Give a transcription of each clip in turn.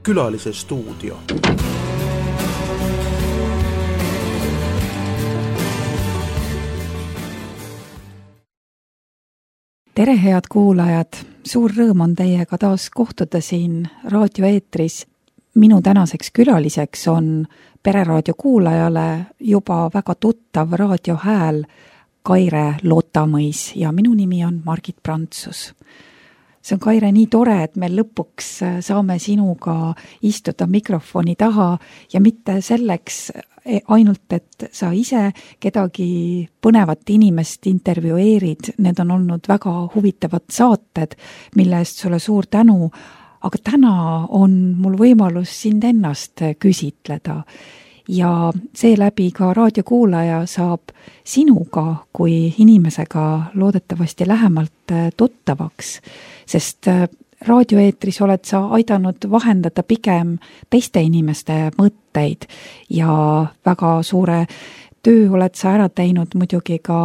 Külalise stuudio. Tere, head kuulajad! Suur rõõm on teiega taas kohtuda siin raadioeetris. Minu tänaseks külaliseks on Pereraadio kuulajale juba väga tuttav raadiohääl Kaire Lotamõis ja minu nimi on Margit Prantsus. See on, Kaire, nii tore, et me lõpuks saame sinuga istuda mikrofoni taha ja mitte selleks ainult, et sa ise kedagi põnevat inimest intervjueerid. Need on olnud väga huvitavad saated, mille eest sulle suur tänu, aga täna on mul võimalus sind ennast küsitleda ja seeläbi ka raadiokuulaja saab sinuga kui inimesega loodetavasti lähemalt tuttavaks, sest raadioeetris oled sa aidanud vahendada pigem teiste inimeste mõtteid ja väga suure töö oled sa ära teinud muidugi ka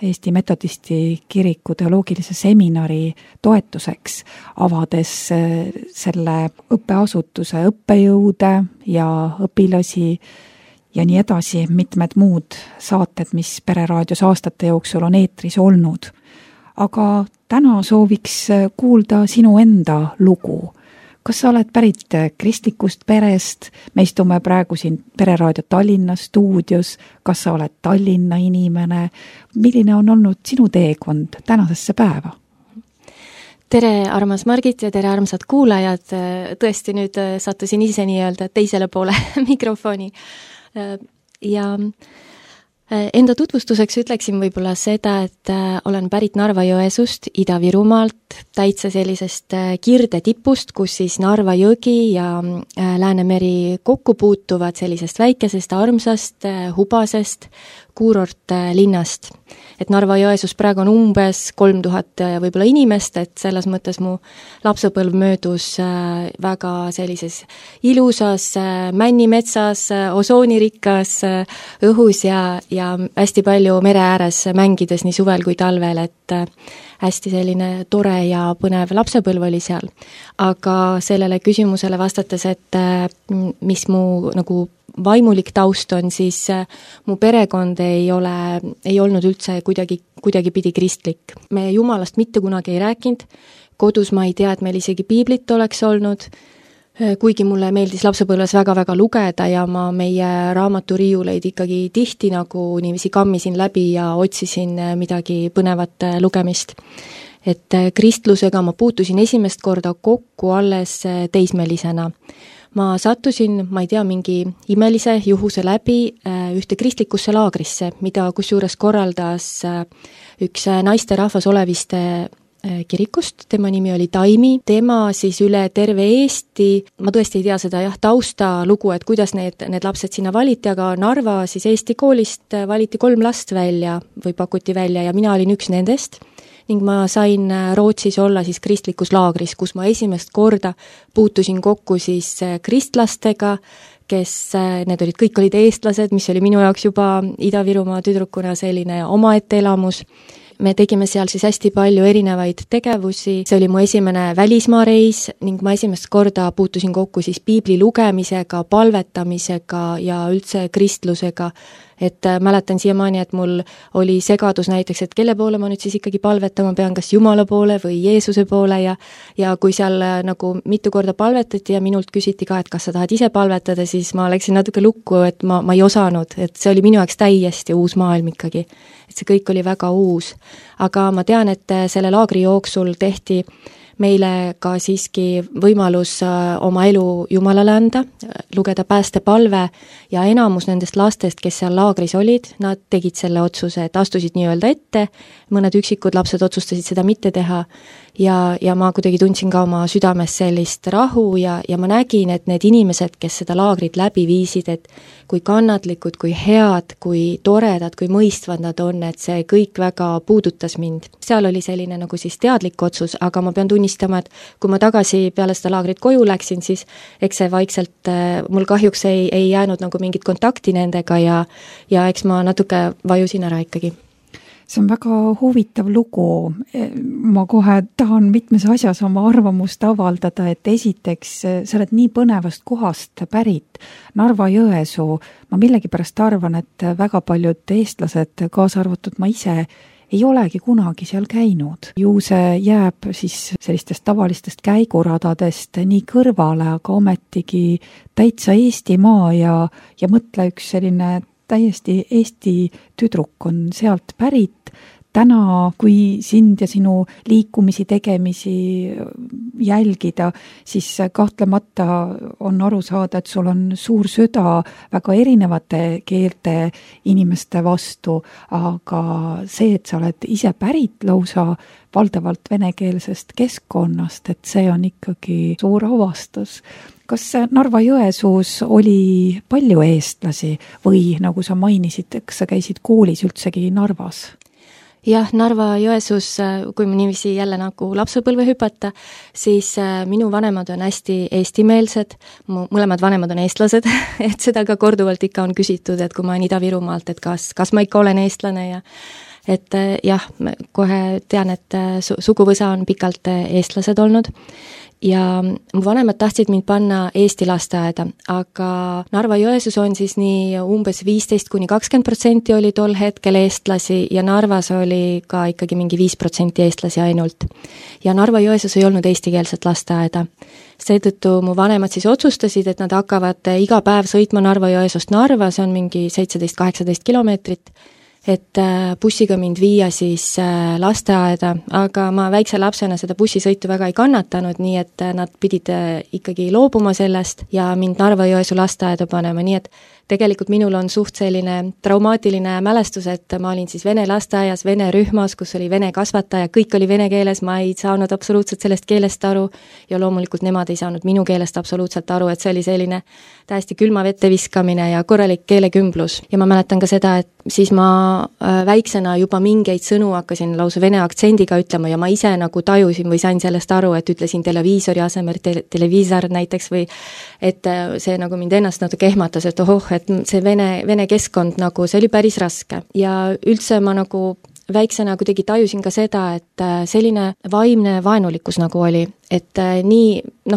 Eesti Metodisti kiriku teoloogilise seminari toetuseks, avades selle õppeasutuse õppejõude ja õpilasi ja nii edasi, mitmed muud saated, mis Pereraadios aastate jooksul on eetris olnud. Aga täna sooviks kuulda sinu enda lugu. Kas sa oled pärit kristlikust perest? Me istume praegu siin Pereraadio Tallinna stuudios. Kas sa oled Tallinna inimene? Milline on olnud sinu teekond tänasesse päeva? Tere, armas Margit ja tere, armsad kuulajad. Tõesti nüüd sattusin ise nii-öelda teisele poole mikrofoni. Ja enda tutvustuseks ütleksin võib-olla seda, et olen pärit Narva-Jõesust, Ida-Virumaalt, täitsa sellisest kirde tipust, kus siis Narva jõgi ja Läänemeri kokku puutuvad sellisest väikesest, armsast, hubasest kuurortlinnast. Et Narva-Jõesus praegu on umbes 3000 võib-olla inimest, et selles mõttes mu lapsepõlv möödus väga sellises ilusas männimetsas, osoonirikkas õhus ja hästi palju mere ääres mängides nii suvel kui talvel, et hästi selline tore ja põnev lapsepõlv oli seal. Aga sellele küsimusele vastates, et mis mu nagu vaimulik taust on, siis mu perekond ei olnud üldse kuidagi pidi kristlik. Me Jumalast mitte kunagi ei rääkinud, kodus ma ei tea, et meil isegi piiblit oleks olnud, kuigi mulle meeldis lapsepõlves väga-väga lugeda ja ma meie raamaturiiuleid ikkagi tihti nagu niiviisi kammisin läbi ja otsisin midagi põnevat lugemist. Et kristlusega ma puutusin esimest korda kokku alles teismelisena. Ma sattusin, ma ei tea, mingi imelise juhuse läbi ühte kristlikusse laagrisse, mida kusjuures korraldas üks naisterahvas Oleviste kirikust, tema nimi oli Taimi, tema siis üle terve Eesti, ma tõesti ei tea seda tausta lugu, et kuidas need lapsed sinna valiti, aga Narva siis Eesti koolist valiti 3 last välja või pakuti välja ja mina olin üks nendest. Ning ma sain Rootsis olla siis kristlikus laagris, kus ma esimest korda puutusin kokku siis kristlastega, kes, need kõik olid eestlased, mis oli minu jaoks juba Ida-Virumaa tüdrukuna selline omaette elamus. Me tegime seal siis hästi palju erinevaid tegevusi, see oli mu esimene välismaareis ning ma esimest korda puutusin kokku siis piibli lugemisega, palvetamisega ja üldse kristlusega. Et mäletan siiamaani, et mul oli segadus näiteks, et kelle poole ma nüüd siis ikkagi palvetama pean, kas Jumala poole või Jeesuse poole ja kui seal nagu mitu korda palvetati ja minult küsiti ka, et kas sa tahad ise palvetada, siis ma läksin natuke lukku, et ma ei osanud, et see oli minu jaoks täiesti uus maailm ikkagi. Et see kõik oli väga uus. Aga ma tean, et selle laagri jooksul tehti meile ka siiski võimalus oma elu Jumalale anda, lugeda päästepalve ja enamus nendest lastest, kes seal laagris olid, nad tegid selle otsuse, et astusid nii-öelda ette, mõned üksikud lapsed otsustasid seda mitte teha ja ma kuidagi tundsin ka oma südames sellist rahu ja ma nägin, et need inimesed, kes seda laagrit läbi viisid, et kui kannatlikud, kui head, kui toredad, kui mõistvad nad on, et see kõik väga puudutas mind. Seal oli selline nagu siis teadlik otsus, aga ma pean tunnistama, et kui ma tagasi peale seda laagrit koju läksin, siis eks see vaikselt, mul kahjuks ei jäänud nagu mingit kontakti nendega ja eks ma natuke vajusin ära ikkagi. see on väga huvitav lugu. Ma kohe tahan mitmes asjas oma arvamust avaldada, et esiteks sa oled nii põnevast kohast pärit, Narva-Jõesuu. Ma millegipärast arvan, et väga paljud eestlased, kaasa arvatud ma ise, ei olegi kunagi seal käinud. Ju see jääb siis sellistest tavalistest käiguradadest nii kõrvale, aga ometigi täitsa Eestimaa ja mõtle üks selline täiesti Eesti tüdruk on sealt pärit. Täna, kui sind ja sinu liikumisi, tegemisi jälgida, siis kahtlemata on aru saada, et sul on suur süda väga erinevate keelte inimeste vastu, aga see, et sa oled ise pärit lausa valdavalt venekeelsest keskkonnast, et see on ikkagi suur avastus. Kas Narva-Jõesuus oli palju eestlasi või nagu sa mainisid, kas sa käisid koolis üldsegi Narvas? Jah, Narva-Jõesuus, kui ma niiviisi jälle nagu lapsepõlve hüpata, siis minu vanemad on hästi eestimeelsed, mu mõlemad vanemad on eestlased, et seda ka korduvalt ikka on küsitud, et kui ma olen Ida-Virumaalt, et kas ma ikka olen eestlane ja et jah, kohe tean, et suguvõsa on pikalt eestlased olnud. Ja mu vanemad tahtsid mind panna Eesti lasteaeda, aga Narva-Jõesuus on siis nii umbes 15–20% oli tol hetkel eestlasi ja Narvas oli ka ikkagi mingi 5% eestlasi ainult. Ja Narva-Jõesuus ei olnud eestikeelset lasteaeda. Seetõttu mu vanemad siis otsustasid, et nad hakkavad iga päev sõitma Narva-Jõesuust Narva, see on mingi 17–18 kilomeetrit, et bussiga mind viia siis lasteaeda, aga ma väikse lapsena seda bussisõitu väga ei kannatanud, nii et nad pidid ikkagi loobuma sellest ja mind Narva-Jõesuu lasteaeda panema, nii et tegelikult minul on suht selline traumaatiline mälestus, et ma olin siis vene lasteaias, vene rühmas, kus oli vene kasvataja, kõik oli vene keeles, ma ei saanud absoluutselt sellest keelest aru ja loomulikult nemad ei saanud minu keelest absoluutselt aru, et see oli selline täiesti külma vette viskamine ja korralik keelekümblus. Ja ma mäletan ka seda, et siis ma väiksena juba mingeid sõnu hakkasin lausa vene aktsendiga ütlema ja ma ise nagu tajusin või sain sellest aru, et ütlesin televiisori asemel televiisor näiteks või et see nagu mind ennast natuke ehmatas, et et see vene keskkond nagu, see oli päris raske ja üldse ma nagu väiksena kuidagi tajusin ka seda, et selline vaimne vaenulikkus nagu oli, et nii,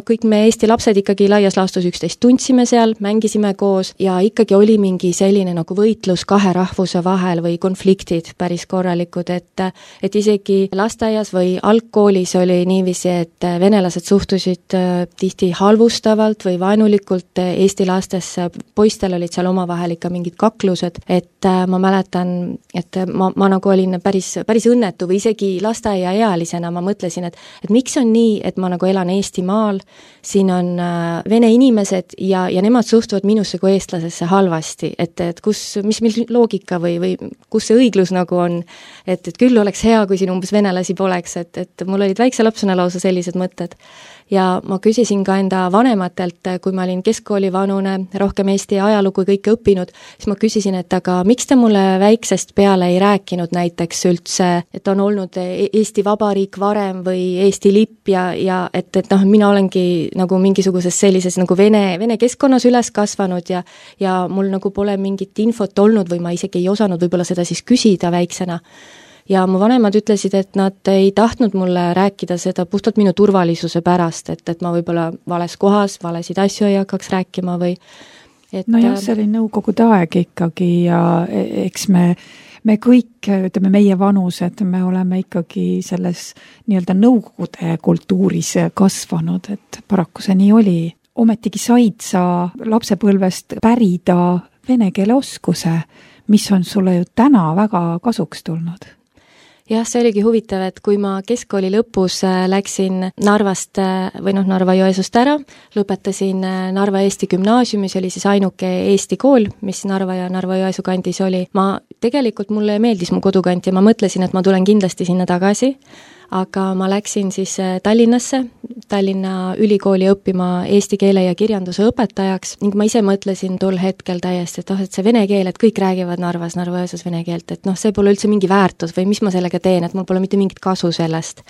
kõik me Eesti lapsed ikkagi laias laastus üksteist tundsime seal, mängisime koos ja ikkagi oli mingi selline nagu võitlus kahe rahvuse vahel või konfliktid päris korralikud, et isegi lasteaias või algkoolis oli niiviisi, et venelased suhtusid tihti halvustavalt või vaenulikult Eesti lastesse, poistel olid seal omavahel ikka mingid kaklused, et ma mäletan, et ma nagu olin päris õnnetu või isegi lasteaiaealisena ma mõtlesin, et miks on nii, et ma nagu elan Eestimaal, siin on vene inimesed ja nemad suhtuvad minusse kui eestlasesse halvasti, et mis loogika või kus see õiglus nagu on, et küll oleks hea, kui siin umbes venelasi poleks, et mul olid väikse lapsena lausa sellised mõtted. Ja ma küsisin ka enda vanematelt, kui ma olin keskkoolivanune, rohkem Eesti ajalugu kõike õppinud, siis ma küsisin, et aga miks te mulle väiksest peale ei rääkinud näiteks üldse, et on olnud Eesti Vabariik varem või Eesti lipp ja et mina olengi nagu mingisuguses sellises nagu vene keskkonnas üles kasvanud ja mul nagu pole mingit infot olnud või ma isegi ei osanud võib-olla seda siis küsida väiksena. Ja mu vanemad ütlesid, et nad ei tahtnud mulle rääkida seda puhtalt minu turvalisuse pärast, et ma võib-olla vales kohas, valesid asju ei hakkaks rääkima või Nojah, see oli nõukogude aeg ikkagi ja eks me kõik, ütleme meie vanused, me oleme ikkagi selles nii-öelda nõukogude kultuuris kasvanud, et paraku see nii oli. Ometigi said sa lapsepõlvest pärida vene keele oskuse, mis on sulle ju täna väga kasuks tulnud. Jah, see oligi huvitav, et kui ma keskkooli lõpus läksin Narvast või Narva-Jõesuust ära, lõpetasin Narva Eesti gümnaasiumi, see oli siis ainuke Eesti kool, mis Narva ja Narva-Jõesuu kandis oli. Tegelikult mulle meeldis mu kodukant ja ma mõtlesin, et ma tulen kindlasti sinna tagasi, aga ma läksin siis Tallinnasse, Tallinna ülikooli õppima eesti keele ja kirjanduse õpetajaks ning ma ise mõtlesin tol hetkel täiesti, et et see vene keel, et kõik räägivad Narva-Jõesuus vene keelt, et see pole üldse mingi väärtus või mis ma sellega teen, et mul pole mitte mingit kasu sellest.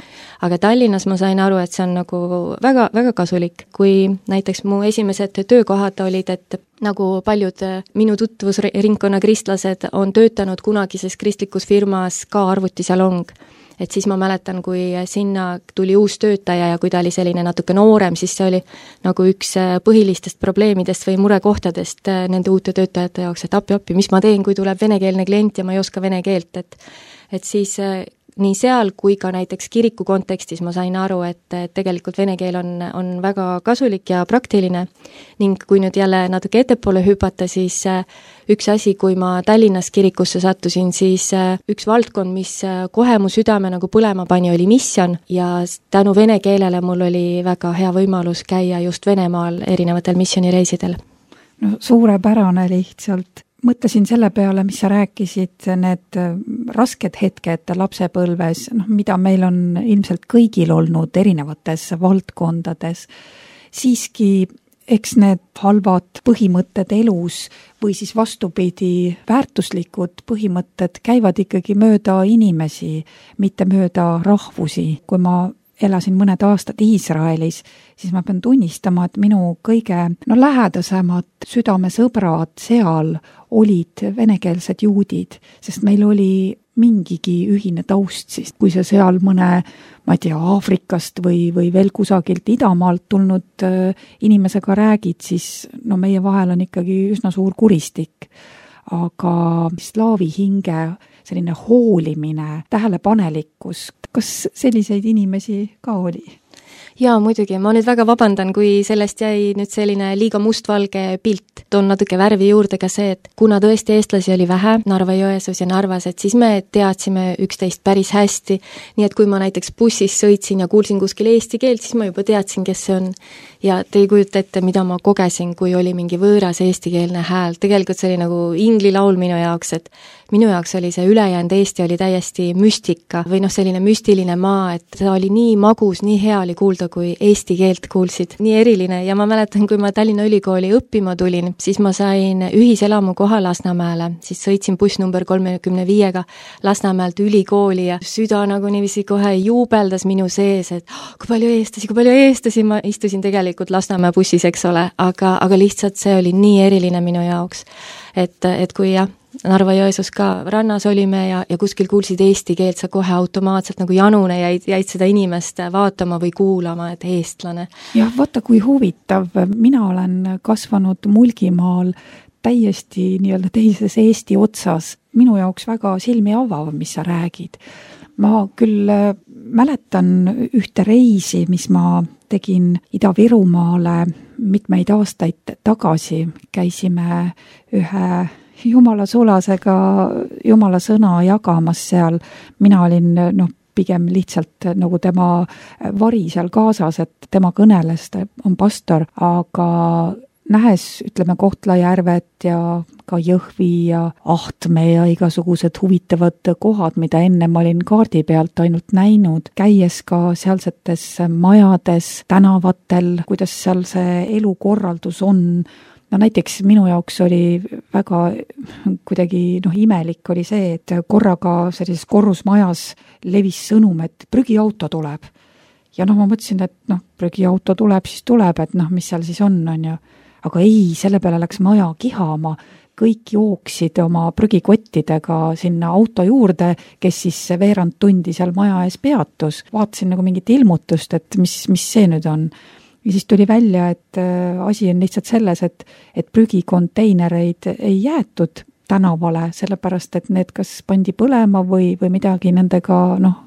Aga Tallinnas ma sain aru, et see on nagu väga, väga kasulik, kui näiteks mu esimesed töökohad olid, et nagu paljud minu tutvusringkonna kristlased on töötanud kunagises kristlikus firmas ka arvutisalong. Et siis ma mäletan, kui sinna tuli uus töötaja ja kui ta oli selline natuke noorem, siis see oli nagu üks põhilistest probleemidest või murekohtadest nende uute töötajate jaoks, et appi, mis ma teen, kui tuleb venekeelne klient ja ma ei oska vene keelt, et siis nii seal kui ka näiteks kiriku kontekstis ma sain aru, et tegelikult vene keel on väga kasulik ja praktiline ning kui nüüd jälle natuke ettepoole hüpata, siis üks asi, kui ma Tallinnas kirikusse sattusin, siis üks valdkond, mis kohe mu südame nagu põlema pani, oli missioon ja tänu vene keelele mul oli väga hea võimalus käia just Venemaal erinevatel missioonireisidel. No suurepärane lihtsalt. Mõtlesin selle peale, mis sa rääkisid, need rasked hetked lapsepõlves, mida meil on ilmselt kõigil olnud erinevates valdkondades. Siiski, eks need halvad põhimõtted elus või siis vastupidi, väärtuslikud põhimõtted käivad ikkagi mööda inimesi, mitte mööda rahvusi. Kui ma elasin mõned aastad Iisraelis, siis ma pean tunnistama, et minu kõige lähedasemad südamesõbrad seal olid venekeelsed juudid, sest meil oli mingigi ühine taust siis. Kui sa seal mõne, ma ei tea, Aafrikast või veel kusagilt idamaalt tulnud inimesega räägid, siis meie vahel on ikkagi üsna suur kuristik. Aga slaavi hinge selline hoolimine, tähelepanelikkus, kas selliseid inimesi ka oli? Jaa, muidugi. Ma nüüd väga vabandan, kui sellest jäi nüüd selline liiga mustvalge pilt. Toon natuke värvi juurde ka see, et kuna tõesti eestlasi oli vähe Narva-Jõesuus ja Narvas, et siis me teadsime üksteist päris hästi. Nii et kui ma näiteks bussis sõitsin ja kuulsin kuskil eesti keelt, siis ma juba teadsin, kes see on. Ja te ei kujuta ette, mida ma kogesin, kui oli mingi võõras eestikeelne hääl. Tegelikult see oli nagu ingli laul minu jaoks, et minu jaoks oli see ülejäänud Eesti oli täiesti müstika või selline müstiline maa, et see oli nii magus, nii hea oli kuulda, kui eesti keelt kuulsid. Nii eriline ja ma mäletan, kui ma Tallinna Ülikooli õppima tulin, siis ma sain ühiselamu koha Lasnamäele, siis sõitsin buss number 35-ga Lasnamäelt ülikooli ja süda nagu niiviisi kohe juubeldas minu sees, et kui palju eestlasi, ma istusin tegelikult Lasnamäe bussis, eks ole, aga lihtsalt see oli nii eriline minu jaoks, et kui jah, Narva-Jõesuus ka rannas olime ja kuskil kuulsid eesti keelt, sa kohe automaatselt nagu janune jäid seda inimest vaatama või kuulama, et eestlane. Jah, vaata kui huvitav. Mina olen kasvanud Mulgimaal täiesti nii-öelda teises Eesti otsas. Minu jaoks väga silmi avav, mis sa räägid. Ma küll mäletan ühte reisi, mis ma tegin Ida-Virumaale mitmeid aastaid tagasi. Käisime ühe Jumala sulasega Jumala sõna jagamas seal. Mina olin pigem lihtsalt nagu tema vari seal kaasas, et tema kõneles, ta on pastor, aga nähes, ütleme, Kohtla-Järvet ja ka Jõhvi ja Ahtme ja igasugused huvitavad kohad, mida enne ma olin kaardi pealt ainult näinud, käies ka sealsetes majades, tänavatel, kuidas seal see elukorraldus on. Näiteks minu jaoks oli väga kuidagi imelik oli see, et korraga sellises korrusmajas levis sõnum, et prügiauto tuleb. Ja ma mõtlesin, et prügiauto tuleb, siis tuleb, et mis seal siis on ju. Aga ei, selle peale läks maja kihama. Kõik jooksid oma prügikottidega sinna auto juurde, kes siis veerand tundi seal maja ees peatus. Vaatasin nagu mingit ilmutust, et mis see nüüd on. Ja siis tuli välja, et asi on lihtsalt selles, et prügikonteinereid ei jäetud tänavale, sellepärast, et need kas pandi põlema või midagi nendega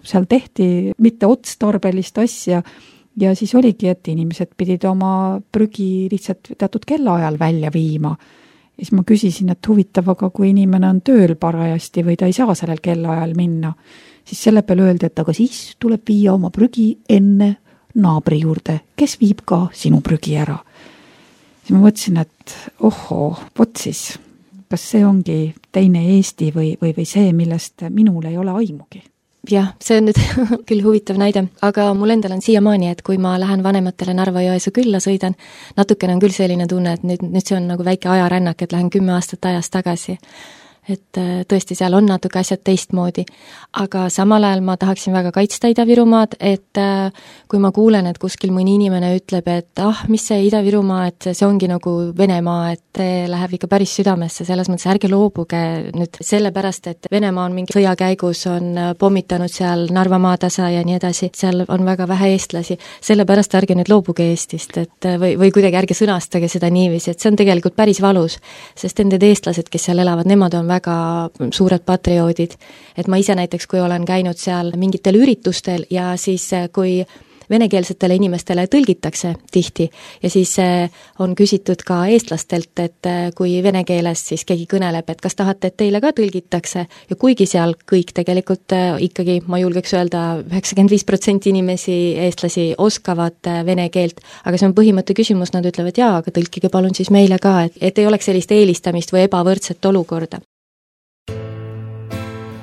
seal tehti mitte otstarbelist asja. Ja siis oligi, et inimesed pidid oma prügi lihtsalt teatud kellaajal välja viima. Ja siis ma küsisin, et huvitav, aga kui inimene on tööl parajasti või ta ei saa sellel kellaajal minna, siis selle peale öeldi, et aga siis tuleb viia oma prügi enne naabri juurde, kes viib ka sinu prügi ära. Siis ma mõtlesin, et vot siis, kas see ongi teine Eesti või see, millest minul ei ole aimugi? Jah, see on nüüd küll huvitav näide, aga mul endal on siiamaani, et kui ma lähen vanematele Narva-Jõesuu külla sõidan, natukene on küll selline tunne, et nüüd see on nagu väike ajarännak, et lähen 10 aastat ajas tagasi. Et tõesti, seal on natuke asjad teistmoodi. Aga samal ajal ma tahaksin väga kaitsta Ida-Virumaad, et kui ma kuulen, et kuskil mõni inimene ütleb, et mis see Ida-Virumaa, et see ongi nagu Venemaa, et läheb ikka päris südamesse, selles mõttes ärge loobuge nüüd sellepärast, et Venemaa on mingi sõja käigus, on pommitanud seal Narva maatasa ja nii edasi, seal on väga vähe eestlasi, sellepärast ärge nüüd loobuge Eestist, et või kuidagi ärge sõnastage seda niiviisi, et see on tegelikult päris valus, sest nended eestlased, kes seal elavad, nemad on väga suured patrioodid. Et ma ise näiteks, kui olen käinud seal mingitel üritustel ja siis kui venekeelsetele inimestele tõlgitakse tihti ja siis on küsitud ka eestlastelt, et kui vene keeles siis keegi kõneleb, et kas tahate, et teile ka tõlgitakse ja kuigi seal kõik tegelikult ikkagi, ma julgeks öelda, 95% inimesi, eestlasi oskavad vene keelt, aga see on põhimõtte küsimus, nad ütlevad jaa, aga tõlkige palun siis meile ka, et ei oleks sellist eelistamist või ebavõrdset olukorda.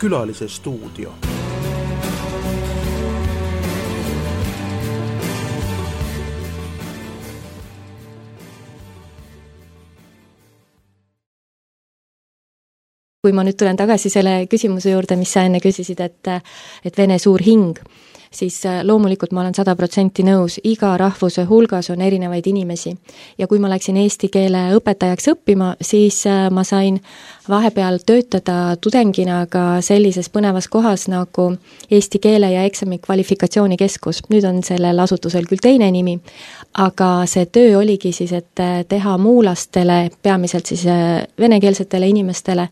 Külalise stuudio. Kui ma nüüd tulen tagasi selle küsimuse juurde, mis sa enne küsisid, et vene suur hing, siis loomulikult ma olen 100% nõus, iga rahvuse hulgas on erinevaid inimesi. Ja kui ma läksin eesti keele õpetajaks õppima, siis ma sain vahepeal töötada tudengina ka sellises põnevas kohas nagu Eesti keele ja eksami kvalifikatsioonikeskus. Nüüd on sellel asutusel küll teine nimi, aga see töö oligi siis, et teha muulastele, peamiselt siis venekeelsetele inimestele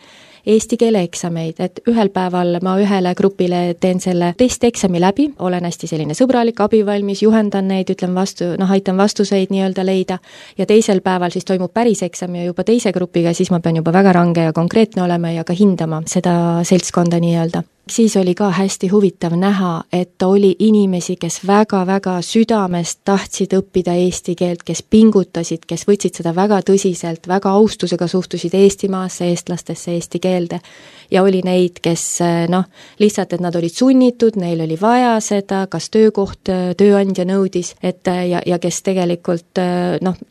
eesti keele eksameid, et ühel päeval ma ühele grupile teen selle testeksami läbi, olen hästi selline sõbralik, abivalmis, juhendan neid, ütlen vastu, aitan vastuseid nii-öelda leida ja teisel päeval siis toimub päris eksam ja juba teise grupiga, siis ma pean juba väga range ja konkreetne olema ja ka hindama seda seltskonda nii-öelda. Siis oli ka hästi huvitav näha, et oli inimesi, kes väga-väga südamest tahtsid õppida eesti keelt, kes pingutasid, kes võtsid seda väga tõsiselt, väga austusega suhtusid Eestimaasse, eestlastesse, eesti keelde. Ja oli neid, kes lihtsalt, et nad olid sunnitud, neil oli vaja seda, kas töökoht, tööandja nõudis, et ja kes tegelikult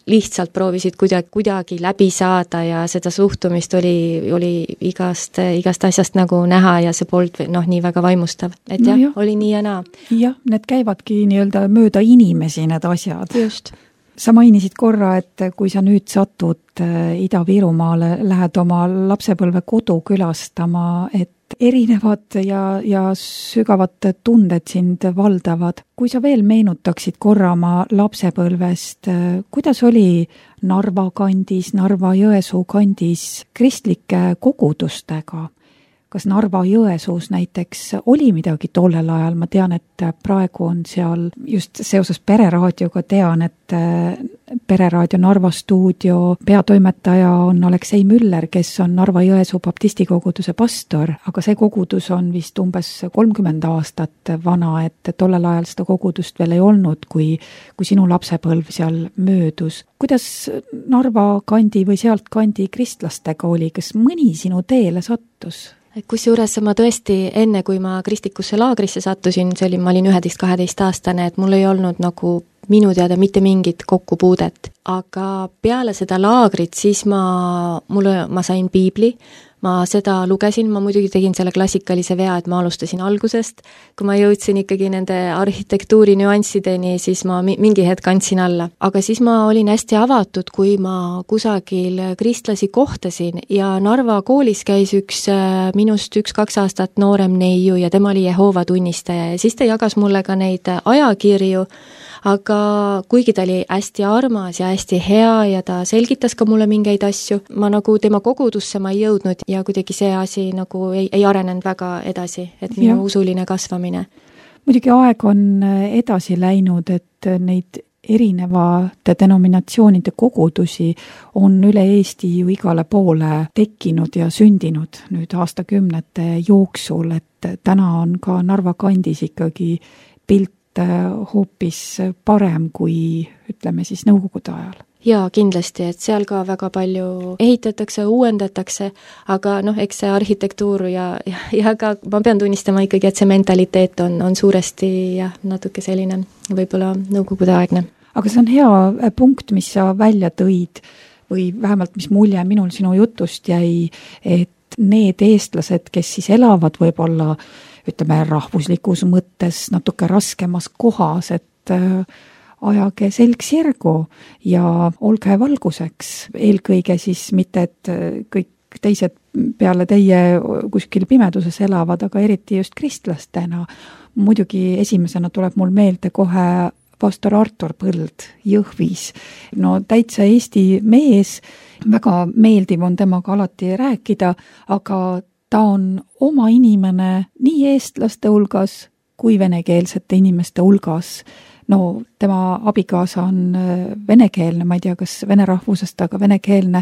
lihtsalt proovisid kuidagi läbi saada ja seda suhtumist oli igast asjast nagu näha ja see polnud nii väga vaimustav. Et oli nii ja naa. Jah, need käivadki nii-öelda mööda inimesi need asjad. Just. Sa mainisid korra, et kui sa nüüd satud Ida-Virumaale, lähed oma lapsepõlve kodu külastama, et erinevad ja sügavad tunded sind valdavad. Kui sa veel meenutaksid korra oma lapsepõlvest, kuidas oli Narva kandis, Narva-Jõesuu kandis kristlike kogudustega? Kas Narva-Jõesuus näiteks oli midagi tollel ajal? Ma tean, et praegu on seal just seoses Pereraadioga tean, et Pereraadio Narva stuudio peatoimetaja on Aleksei Müller, kes on Narva-Jõesuu baptistikoguduse pastor, aga see kogudus on vist umbes 30 aastat vana, et tollel ajal seda kogudust veel ei olnud, kui sinu lapsepõlv seal möödus. Kuidas Narva kandi või sealt kandi kristlastega oli? Kas mõni sinu teele sattus? Kusjuures ma tõesti enne, kui ma kristikusse laagrisse sattusin, ma olin 11-12 aastane, et mul ei olnud nagu minu teada mitte mingit kokkupuudet. Aga peale seda laagrit siis ma sain piibli, ma seda lugesin, ma muidugi tegin selle klassikalise vea, et ma alustasin algusest. Kui ma jõudsin ikkagi nende arhitektuuri nüanssideni, siis ma mingi hetk andsin alla. Aga siis ma olin hästi avatud, kui ma kusagil kristlasi kohtasin ja Narva koolis käis minust 1-2 aastat noorem neiu ja tema oli Jehoova tunnistaja ja siis ta jagas mulle ka neid ajakirju, aga kuigi ta oli hästi armas ja hästi hea ja ta selgitas ka mulle mingeid asju, ma nagu tema kogudusse ma ei jõudnud ja kuidagi see asi nagu ei arenenud väga edasi, et minu usuline kasvamine. Muidugi aeg on edasi läinud, et neid erinevate denominatsioonide kogudusi on üle Eesti ju igale poole tekkinud ja sündinud nüüd aastakümnete jooksul, et täna on ka Narva kandis ikkagi pilt hoopis parem kui ütleme siis nõukogude ajal. Jaa, kindlasti, et seal ka väga palju ehitatakse, uuendatakse, aga eks see arhitektuur ja ka ma pean tunnistama ikkagi, et see mentaliteet on suuresti natuke selline võib-olla nõukogudeaegne. Aga see on hea punkt, mis sa välja tõid või vähemalt mis mulje minul sinu jutust jäi, et need eestlased, kes siis elavad võib-olla ütleme rahvuslikus mõttes natuke raskemas kohas, et ajage selg sirgu ja olge valguseks. Eelkõige siis mitte, et kõik teised peale teie kuskil pimeduses elavad, aga eriti just kristlastena. Muidugi esimesena tuleb mul meelde kohe pastor Artur Põld Jõhvis. No täitsa Eesti mees, väga meeldiv on temaga alati rääkida, aga ta on oma inimene nii eestlaste hulgas kui venekeelsete inimeste hulgas. No tema abikaasa on venekeelne, ma ei tea, kas vene rahvusest, aga venekeelne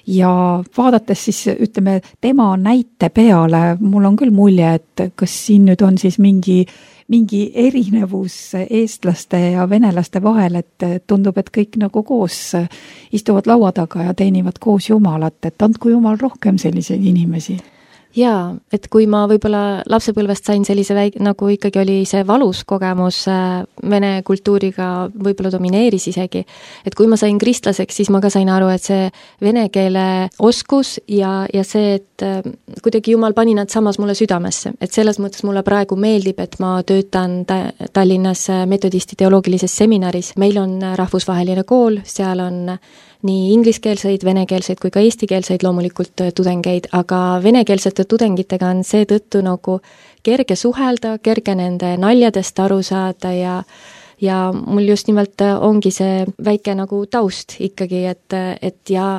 ja vaadates siis ütleme tema näite peale, mul on küll mulje, et kas siin nüüd on siis mingi erinevus eestlaste ja venelaste vahel, et tundub, et kõik nagu koos istuvad laua taga ja teenivad koos Jumalat, et andku Jumal rohkem selliseid inimesi. Jaa, et kui ma võib-olla lapsepõlvest sain sellise nagu ikkagi oli see valus kogemus vene kultuuriga võib-olla domineeris isegi, et kui ma sain kristlaseks, siis ma ka sain aru, et see vene keele oskus ja see, et kuidagi Jumal pani nad samas mulle südamesse, et selles mõttes mulle praegu meeldib, et ma töötan Tallinnas metodisti teoloogilises seminaris, meil on rahvusvaheline kool, seal on nii ingliskeelseid, venekeelseid kui ka eestikeelseid loomulikult tudengeid, aga venekeelsete tudengitega on seetõttu nagu kerge suhelda, kerge nende naljadest aru saada ja mul just nimelt ongi see väike nagu taust ikkagi, et ja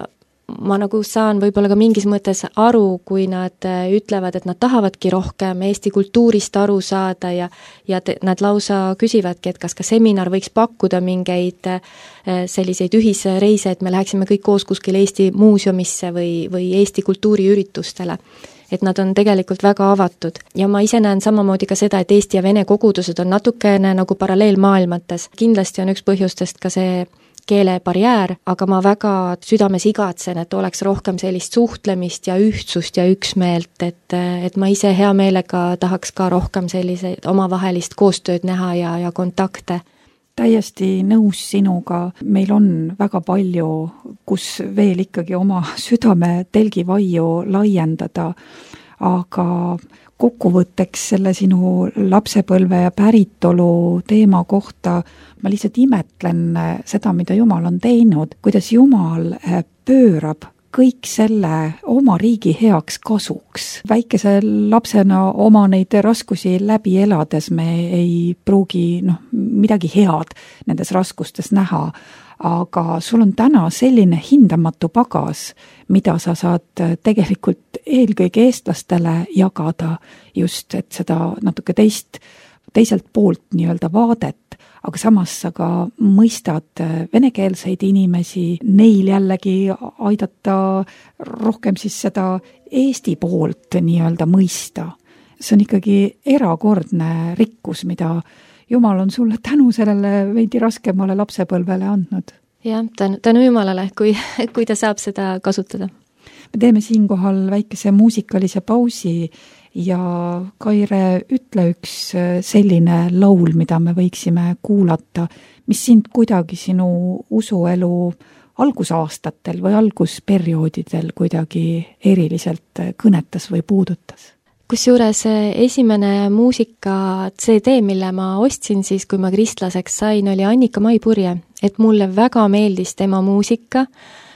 ma nagu saan võib-olla ka mingis mõttes aru, kui nad ütlevad, et nad tahavadki rohkem Eesti kultuurist aru saada ja nad lausa küsivadki, et kas ka seminar võiks pakkuda mingeid selliseid ühisreise, et me läheksime kõik koos kuskil Eesti muuseumisse või Eesti kultuuriüritustele. Et nad on tegelikult väga avatud ja ma ise näen samamoodi ka seda, et Eesti ja Vene kogudused on natukene nagu paralleelmaailmates. Kindlasti on üks põhjustest ka see keelebarjäär, aga ma väga südames igatsen, et oleks rohkem sellist suhtlemist ja ühtsust ja üksmeelt, et ma ise hea meelega tahaks ka rohkem selliseid omavahelist koostööd näha ja kontakte. Täiesti nõus sinuga, meil on väga palju, kus veel ikkagi oma südame telgivaiu laiendada, aga kokkuvõtteks selle sinu lapsepõlve ja päritolu teema kohta ma lihtsalt imetlen seda, mida Jumal on teinud, kuidas Jumal pöörab kõik selle oma riigi heaks kasuks. Väikese lapsena oma neid raskusi läbi elades me ei pruugi midagi head nendes raskustes näha, aga sul on täna selline hindamatu pagas, mida sa saad tegelikult eelkõige eestlastele jagada just, et seda natuke teiselt poolt nii-öelda vaadet, aga samas sa ka mõistad venekeelseid inimesi, neil jällegi aidata rohkem siis seda Eesti poolt nii-öelda mõista. See on ikkagi erakordne rikkus, mida Jumal on sulle tänu sellele veidi raskemale lapsepõlvele andnud. Jah, tänu Jumalale, kui ta saab seda kasutada. Me teeme siinkohal väikese muusikalise pausi ja Kaire, ütle üks selline laul, mida me võiksime kuulata, mis sind kuidagi sinu usuelu algusaastatel või algusperioodidel kuidagi eriliselt kõnetas või puudutas? Kusjuures esimene muusika CD, mille ma ostsin siis, kui ma kristlaseks sain, oli Annika Maipurje, et mulle väga meeldis tema muusika.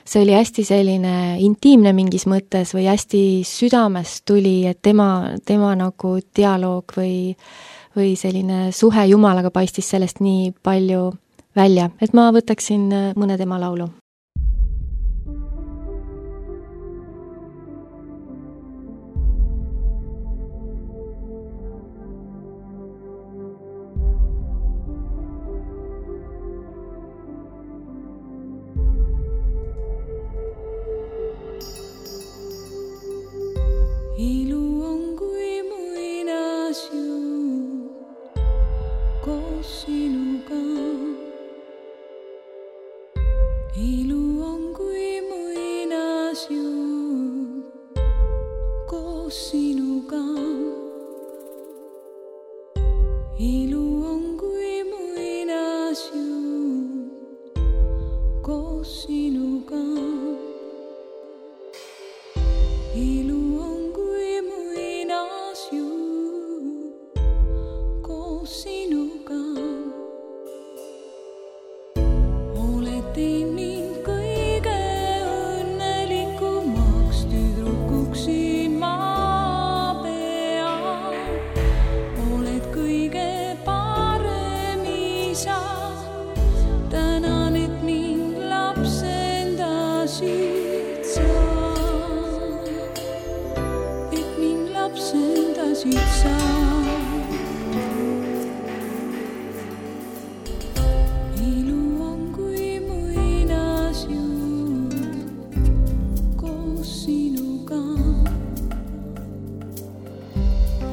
See oli hästi selline intiimne mingis mõttes või hästi südamest tuli, et tema nagu dialoog või selline suhe Jumalaga paistis sellest nii palju välja, et ma võtaksin mõne tema laulu. Ilu on kui muinasjutt koos sinuga. koos sinuga. Ilu on kui muinasjutt koos sinuga. Oled teinud mind kõige õnnelikumaks tüdrukuks siin maa peal. Oled kõige parem isa. Tänan, et mind lapsendasid sa. Et mind lapsendasid sa. Ilu on kui muinasjutt koos sinuga.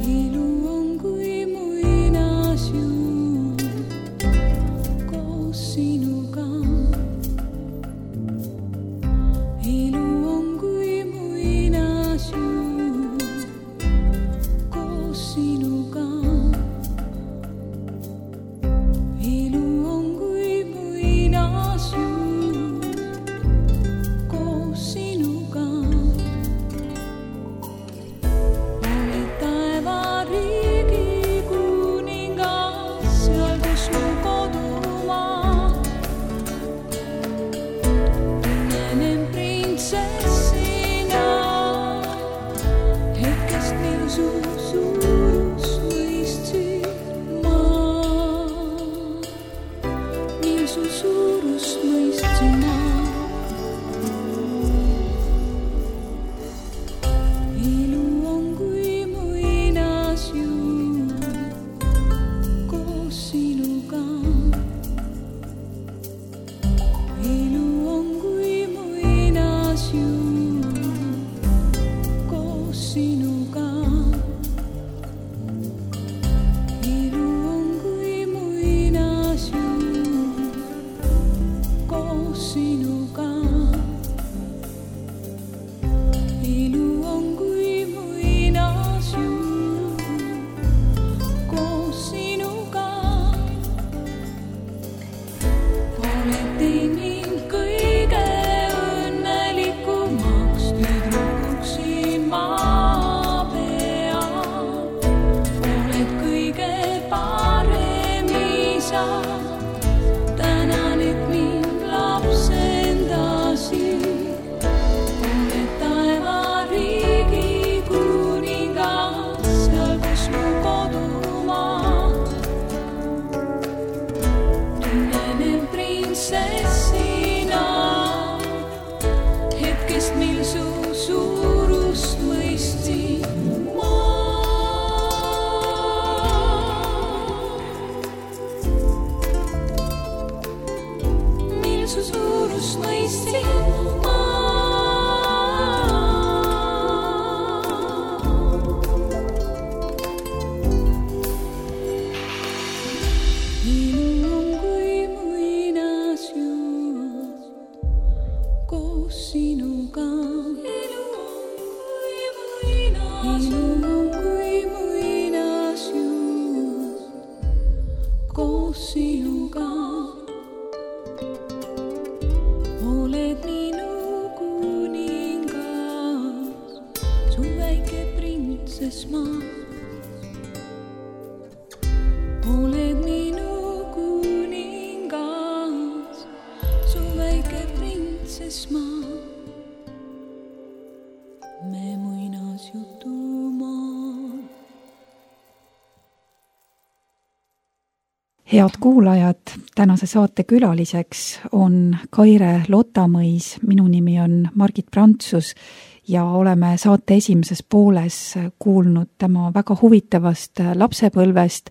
Ilu on kui muinasjutt koos sinuga. Ilu on kui muinasjutt koos sinuga. Ilu on kui muinasjutt koos sinuga. Oled taevariigi kuningas, seal kus mu kodumaa. Tunnen end printsessina, hetkest mil su suurust mõistsin ma. Mil su suurust mõistsin ma. Ilu on kui muinasjutt koos sinuga. Ilu on kui muinasjutt koos sinuga. Ilu on kui muinasjutt koos sinuga. Ilu on kui muinasjutt koos sinuga. Oled teinud mind kõige õnnelikumaks tüdrukuks siin maa peal. Oled kõige parem isa. Tänan, et mind lapsendasid. Oled taevariigi kuningas, seal kus mu kodumaa. Tunnen end printsessina, hetkest mil su suurust mõistsin ma. Mil su suurust mõistsin ma. Ilu on kui muinasjutt koos sinuga. Ilu on kui muinasjutt koos sinuga. Oled minu kuningas, su väike printsess ma. Oled minu kuningas, su väike printsess ma. Me muinasjutumaa. Head kuulajad, tänase saate külaliseks on Kaire Lotamõis, minu nimi on Margit Prantsus ja oleme saate esimeses pooles kuulnud tema väga huvitavast lapsepõlvest,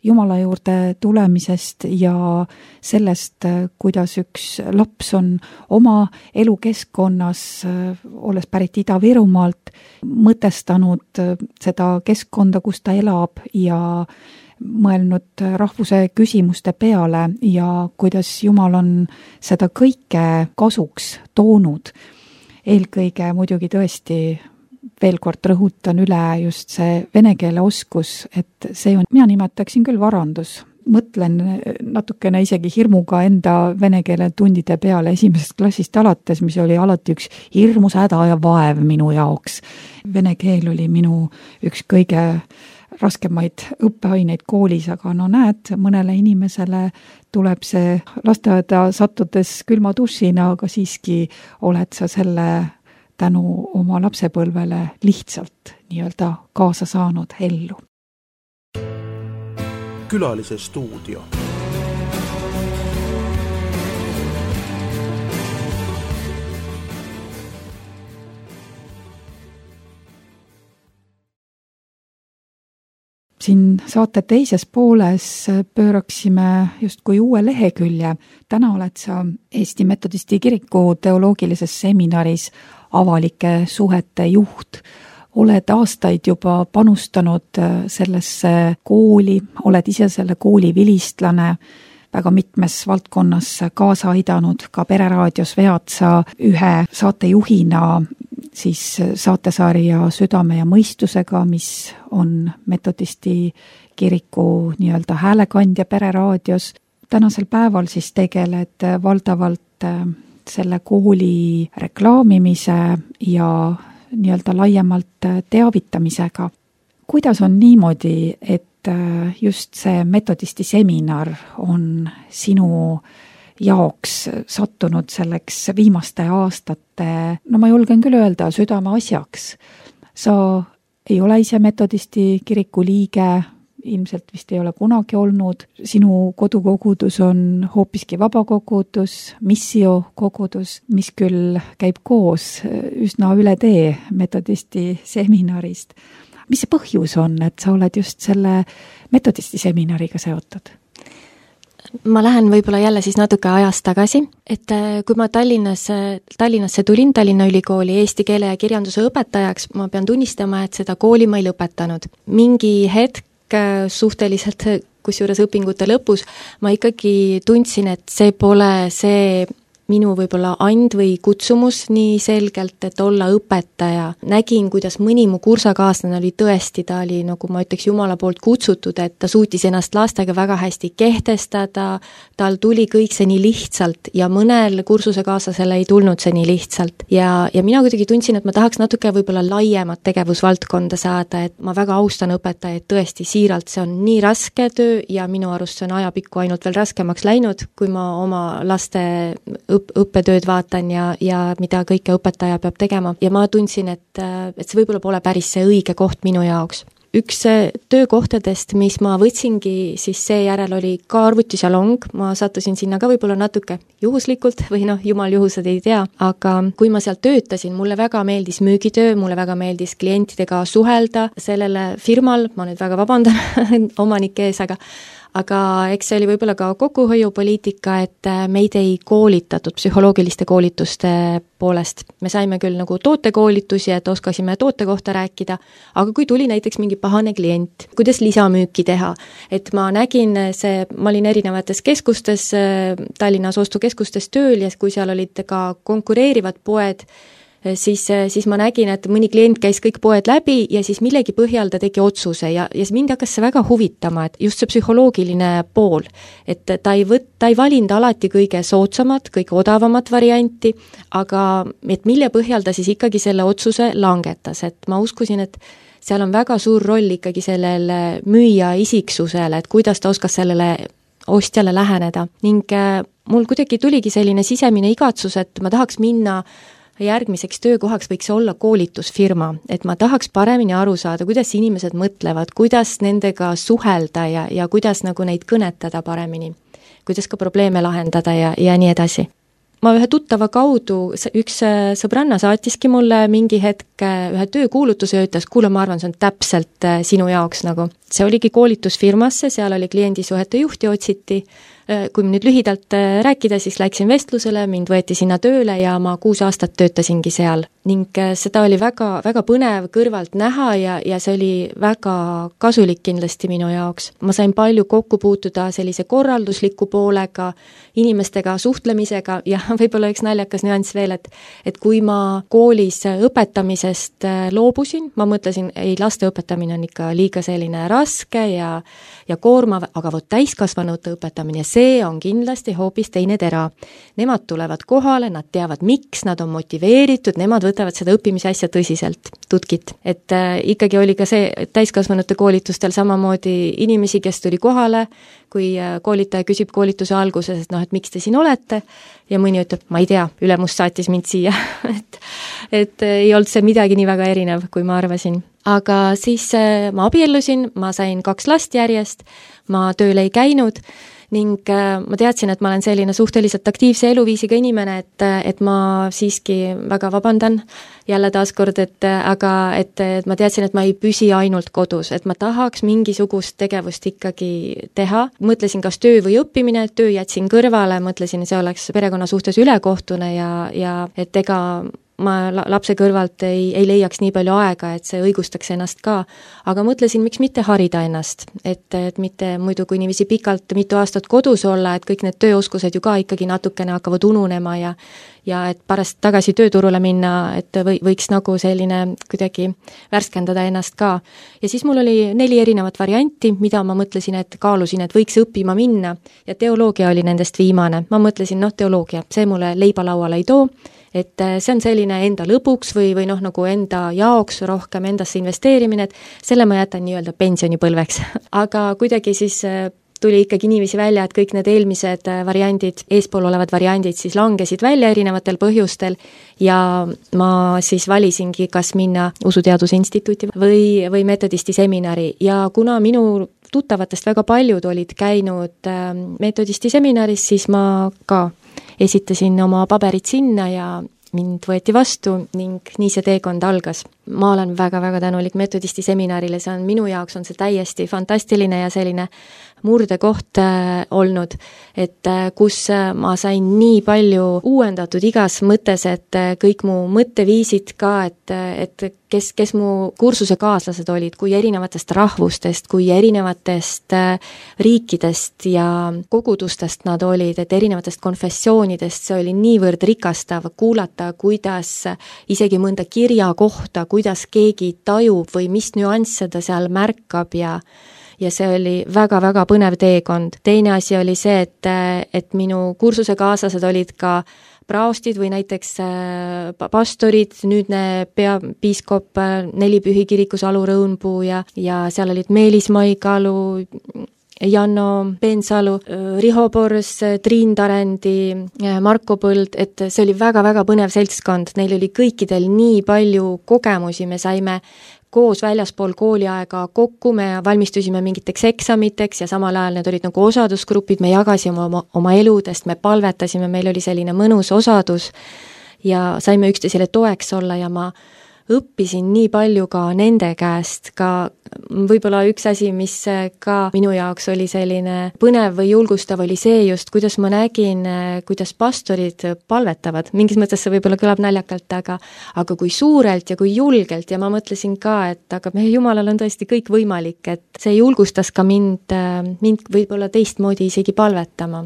Jumala juurde tulemisest ja sellest, kuidas üks laps on oma elukeskkonnas, olles pärit Ida-Virumaalt, mõtestanud seda keskkonda, kus ta elab ja mõelnud rahvuse küsimuste peale ja kuidas Jumal on seda kõike kasuks toonud. Eelkõige muidugi tõesti veel kord rõhutan üle just see vene keele oskus, et see on, mina nimetaksin küll varandus, mõtlen natukene isegi hirmuga enda vene keele tundide peale esimesest klassist alates, mis oli alati üks hirmus häda ja vaev minu jaoks. Vene keel oli minu üks kõige raskemaid õppeaineid koolis, aga no näed, mõnele inimesele tuleb see lasteaeda sattudes külma dušina, aga siiski oled sa selle tänu oma lapsepõlvele lihtsalt nii-öelda kaasa saanud ellu. Külalise stuudio. Siin saate teises pooles pööraksime justkui uue lehekülje. Täna oled sa Eesti Metodisti Kiriku teoloogilises seminaris avalike suhete juht. Oled aastaid juba panustanud sellesse kooli, oled ise selle kooli vilistlane, väga mitmes valdkonnas kaasa aidanud, ka Pereraadios vead sa ühe saatejuhina siis saatesarja Südame ja mõistusega, mis on Metodisti Kiriku nii-öelda häälekandja Pereraadios. Tänasel päeval siis tegeled valdavalt selle kooli reklaamimise ja nii-öelda laiemalt teavitamisega. Kuidas on niimoodi, et just see Metodisti seminar on sinu jaoks sattunud selleks viimaste aastate, no ma julgen küll öelda, südame asjaks? Sa ei ole ise Metodisti Kiriku liige, ilmselt vist ei ole kunagi olnud. Sinu kodukogudus on hoopiski vabakogudus, missiokogudus, mis küll käib koos üsna üle tee Metodisti seminarist. Mis see põhjus on, et sa oled just selle Metodisti seminariga seotud? Ma lähen võib-olla jälle siis natuke ajas tagasi, et kui ma Tallinnasse tulin, Tallinna Ülikooli eesti keele ja kirjanduse õpetajaks, ma pean tunnistama, et seda kooli ma ei lõpetanud. Mingi hetk suhteliselt, kusjuures õpingute lõpus, ma ikkagi tundsin, et see pole see minu võib-olla and või kutsumus nii selgelt, et olla õpetaja. Nägin, kuidas mõni mu kursakaaslane oli tõesti, ta oli, nagu ma ütleks, Jumala poolt kutsutud, et ta suutis ennast lastega väga hästi kehtestada, tal tuli kõik see nii lihtsalt ja mõnel kursusekaaslasele ei tulnud see nii lihtsalt. Ja mina kuidagi tundsin, et ma tahaks natuke võib-olla laiemat tegevusvaldkonda saada, et ma väga austan õpetajaid tõesti siiralt, see on nii raske töö ja minu arust see on ajapikku ainult veel raskemaks läinud, kui ma oma laste õppetööd vaatan ja mida kõike õpetaja peab tegema. Ja ma tundsin, et see võib-olla pole päris see õige koht minu jaoks. Üks töökohtadest, mis ma võtsingi, siis seejärel oli ka arvutisalong, ma sattusin sinna ka võib-olla natuke juhuslikult või jumal juhused ei tea, aga kui ma seal töötasin, mulle väga meeldis müügitöö, mulle väga meeldis klientidega suhelda sellele firmal, ma nüüd väga vabandan omanike ees, aga eks see oli võib-olla ka kokkuhoiupoliitika, et meid ei koolitatud psühholoogiliste koolituste poolest. Me saime küll nagu tootekoolitusi, et oskasime toote kohta rääkida, aga kui tuli näiteks mingi pahane klient, kuidas lisamüüki teha, et ma nägin ma olin erinevates keskustes, Tallinnas ostukeskustes tööl ja kui seal olid ka konkureerivad poed, siis ma nägin, et mõni klient käis kõik poed läbi ja siis millegi põhjal ta tegi otsuse ja mind hakkas see väga huvitama, et just see psühholoogiline pool, et ta ei valinud alati kõige soodsamat, kõige odavamat varianti, aga et mille põhjal ta siis ikkagi selle otsuse langetas, et ma uskusin, et seal on väga suur roll ikkagi sellel müüja isiksusele, et kuidas ta oskas sellele ostjale läheneda ning mul kuidagi tuligi selline sisemine igatsus, et ma tahaks minna järgmiseks töökohaks võiks olla koolitusfirma, et ma tahaks paremini aru saada, kuidas inimesed mõtlevad, kuidas nendega suhelda ja kuidas nagu neid kõnetada paremini, kuidas ka probleeme lahendada ja nii edasi. Ma ühe tuttava kaudu, üks sõbranna saatiski mulle mingi hetk ühe töökuulutuse ja ütles, kuule, ma arvan, see on täpselt sinu jaoks nagu. See oligi koolitusfirmasse, seal oli kliendisuhete juhti otsiti, kui nüüd lühidalt rääkida, siis läksin vestlusele, mind võeti sinna tööle ja ma 6 aastat töötasingi seal. Ning seda oli väga, väga põnev kõrvalt näha ja see oli väga kasulik kindlasti minu jaoks. Ma sain palju kokku puutuda sellise korraldusliku poolega, inimestega suhtlemisega ja võib-olla üks naljakas nüanss veel, et kui ma koolis õpetamisest loobusin, ma mõtlesin, ei, laste õpetamine on ikka liiga selline raske ja koormav, aga vot täiskasvanute õpetamine, see on kindlasti hoopis teine tera. Nemad tulevad kohale, nad teavad miks, nad on motiveeritud, nemad võtavad seda õppimise asja tõsiselt, tutkit. Et ikkagi oli ka see täiskasvanute koolitustel samamoodi inimesi, kes tuli kohale, kui koolitaja küsib koolituse alguses, et miks te siin olete, ja mõni ütleb, ma ei tea, ülemus saatis mind siia, et ei olnud see midagi nii väga erinev, kui ma arvasin. Aga siis ma abiellusin, ma sain 2 last järjest, ma tööle ei käinud ning ma teadsin, et ma olen selline suhteliselt aktiivse eluviisiga inimene, et ma siiski väga vabandan jälle taaskord, et ma teadsin, et ma ei püsi ainult kodus, et ma tahaks mingisugust tegevust ikkagi teha. Mõtlesin, kas töö või õppimine, töö jätsin kõrvale, mõtlesin, see oleks perekonna suhtes ülekohtune ja et ega ma lapse kõrvalt ei leiaks nii palju aega, et see õigustaks ennast ka. Aga mõtlesin, miks mitte harida ennast, et mitte muidu kui niiviisi pikalt mitu aastat kodus olla, et kõik need tööoskused ju ka ikkagi natukene hakkavad ununema ja et pärast tagasi tööturule minna, et võiks nagu selline kuidagi värskendada ennast ka. Ja siis mul oli 4 erinevat varianti, mida ma mõtlesin, et kaalusin, et võiks õppima minna ja teoloogia oli nendest viimane. Ma mõtlesin, teoloogia, see mulle leiba lauale ei too, et see on selline enda lõbuks või nagu enda jaoks rohkem endasse investeerimine, et selle ma jätan nii-öelda pensionipõlveks. Aga kuidagi siis tuli ikkagi niiviisi välja, et kõik need eelmised variandid, eespool olevad variandid siis langesid välja erinevatel põhjustel ja ma siis valisingi, kas minna Usuteaduse Instituuti või metodisti seminari ja kuna minu tuttavatest väga paljud olid käinud metodisti seminaris, siis ma ka esitasin oma paberid sinna ja mind võeti vastu ning nii see teekond algas. Ma olen väga-väga tänulik metodisti seminarile, see on minu jaoks on see täiesti fantastiline ja selline murdekoht olnud, et kus ma sain nii palju uuendatud igas mõttes, et kõik mu mõtteviisid ka, et kes mu kursuse kaaslased olid, kui erinevatest rahvustest, kui erinevatest riikidest ja kogudustest nad olid, et erinevatest konfessioonidest, see oli niivõrd rikastav kuulata, kuidas isegi mõnda kirja kohta, kuidas keegi tajub või mis nüansse ta seal märkab ja see oli väga-väga põnev teekond. Teine asi oli see, et minu kursuse kaaslased olid ka praostid või näiteks pastorid, nüüdne peapiiskop Nelipühi kirikus Alu Rõunpuu ja seal olid Meelis Maigalu, Janno Peensalu, Riho Pors, Triin Tarendi, Marko Põld, et see oli väga-väga põnev seltskond, neil oli kõikidel nii palju kogemusi, me saime koos väljaspool kooliaega kokku, me valmistusime mingiteks eksamiteks ja samal ajal need olid nagu osadusgrupid, me jagasime oma eludest, me palvetasime, meil oli selline mõnus osadus ja saime üksteisele toeks olla ja ma õppisin nii palju ka nende käest, ka võib-olla üks asi, mis ka minu jaoks oli selline põnev või julgustav, oli see just, kuidas ma nägin, kuidas pastorid palvetavad. Mingis mõttes see võib-olla kõlab naljakalt, aga kui suurelt ja kui julgelt ja ma mõtlesin ka, et aga meie Jumalal on tõesti kõik võimalik, et see julgustas ka mind võib-olla teistmoodi isegi palvetama.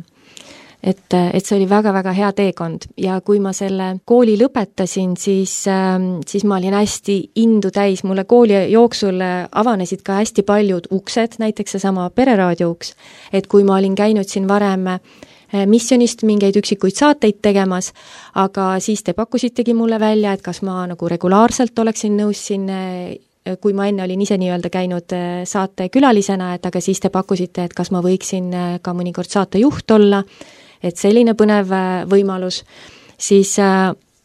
Et see oli väga-väga hea teekond ja kui ma selle kooli lõpetasin, siis ma olin hästi indu täis, mulle kooli jooksul avanesid ka hästi paljud uksed, näiteks seesama Pereraadio uks, et kui ma olin käinud siin varem missionist mingeid üksikuid saateid tegemas, aga siis te pakkusitegi mulle välja, et kas ma nagu regulaarselt oleksin nõus siin, kui ma enne olin ise nii-öelda käinud saate külalisena, et aga siis te pakkusite, et kas ma võiksin ka mõnikord saatejuht olla, et selline põnev võimalus, siis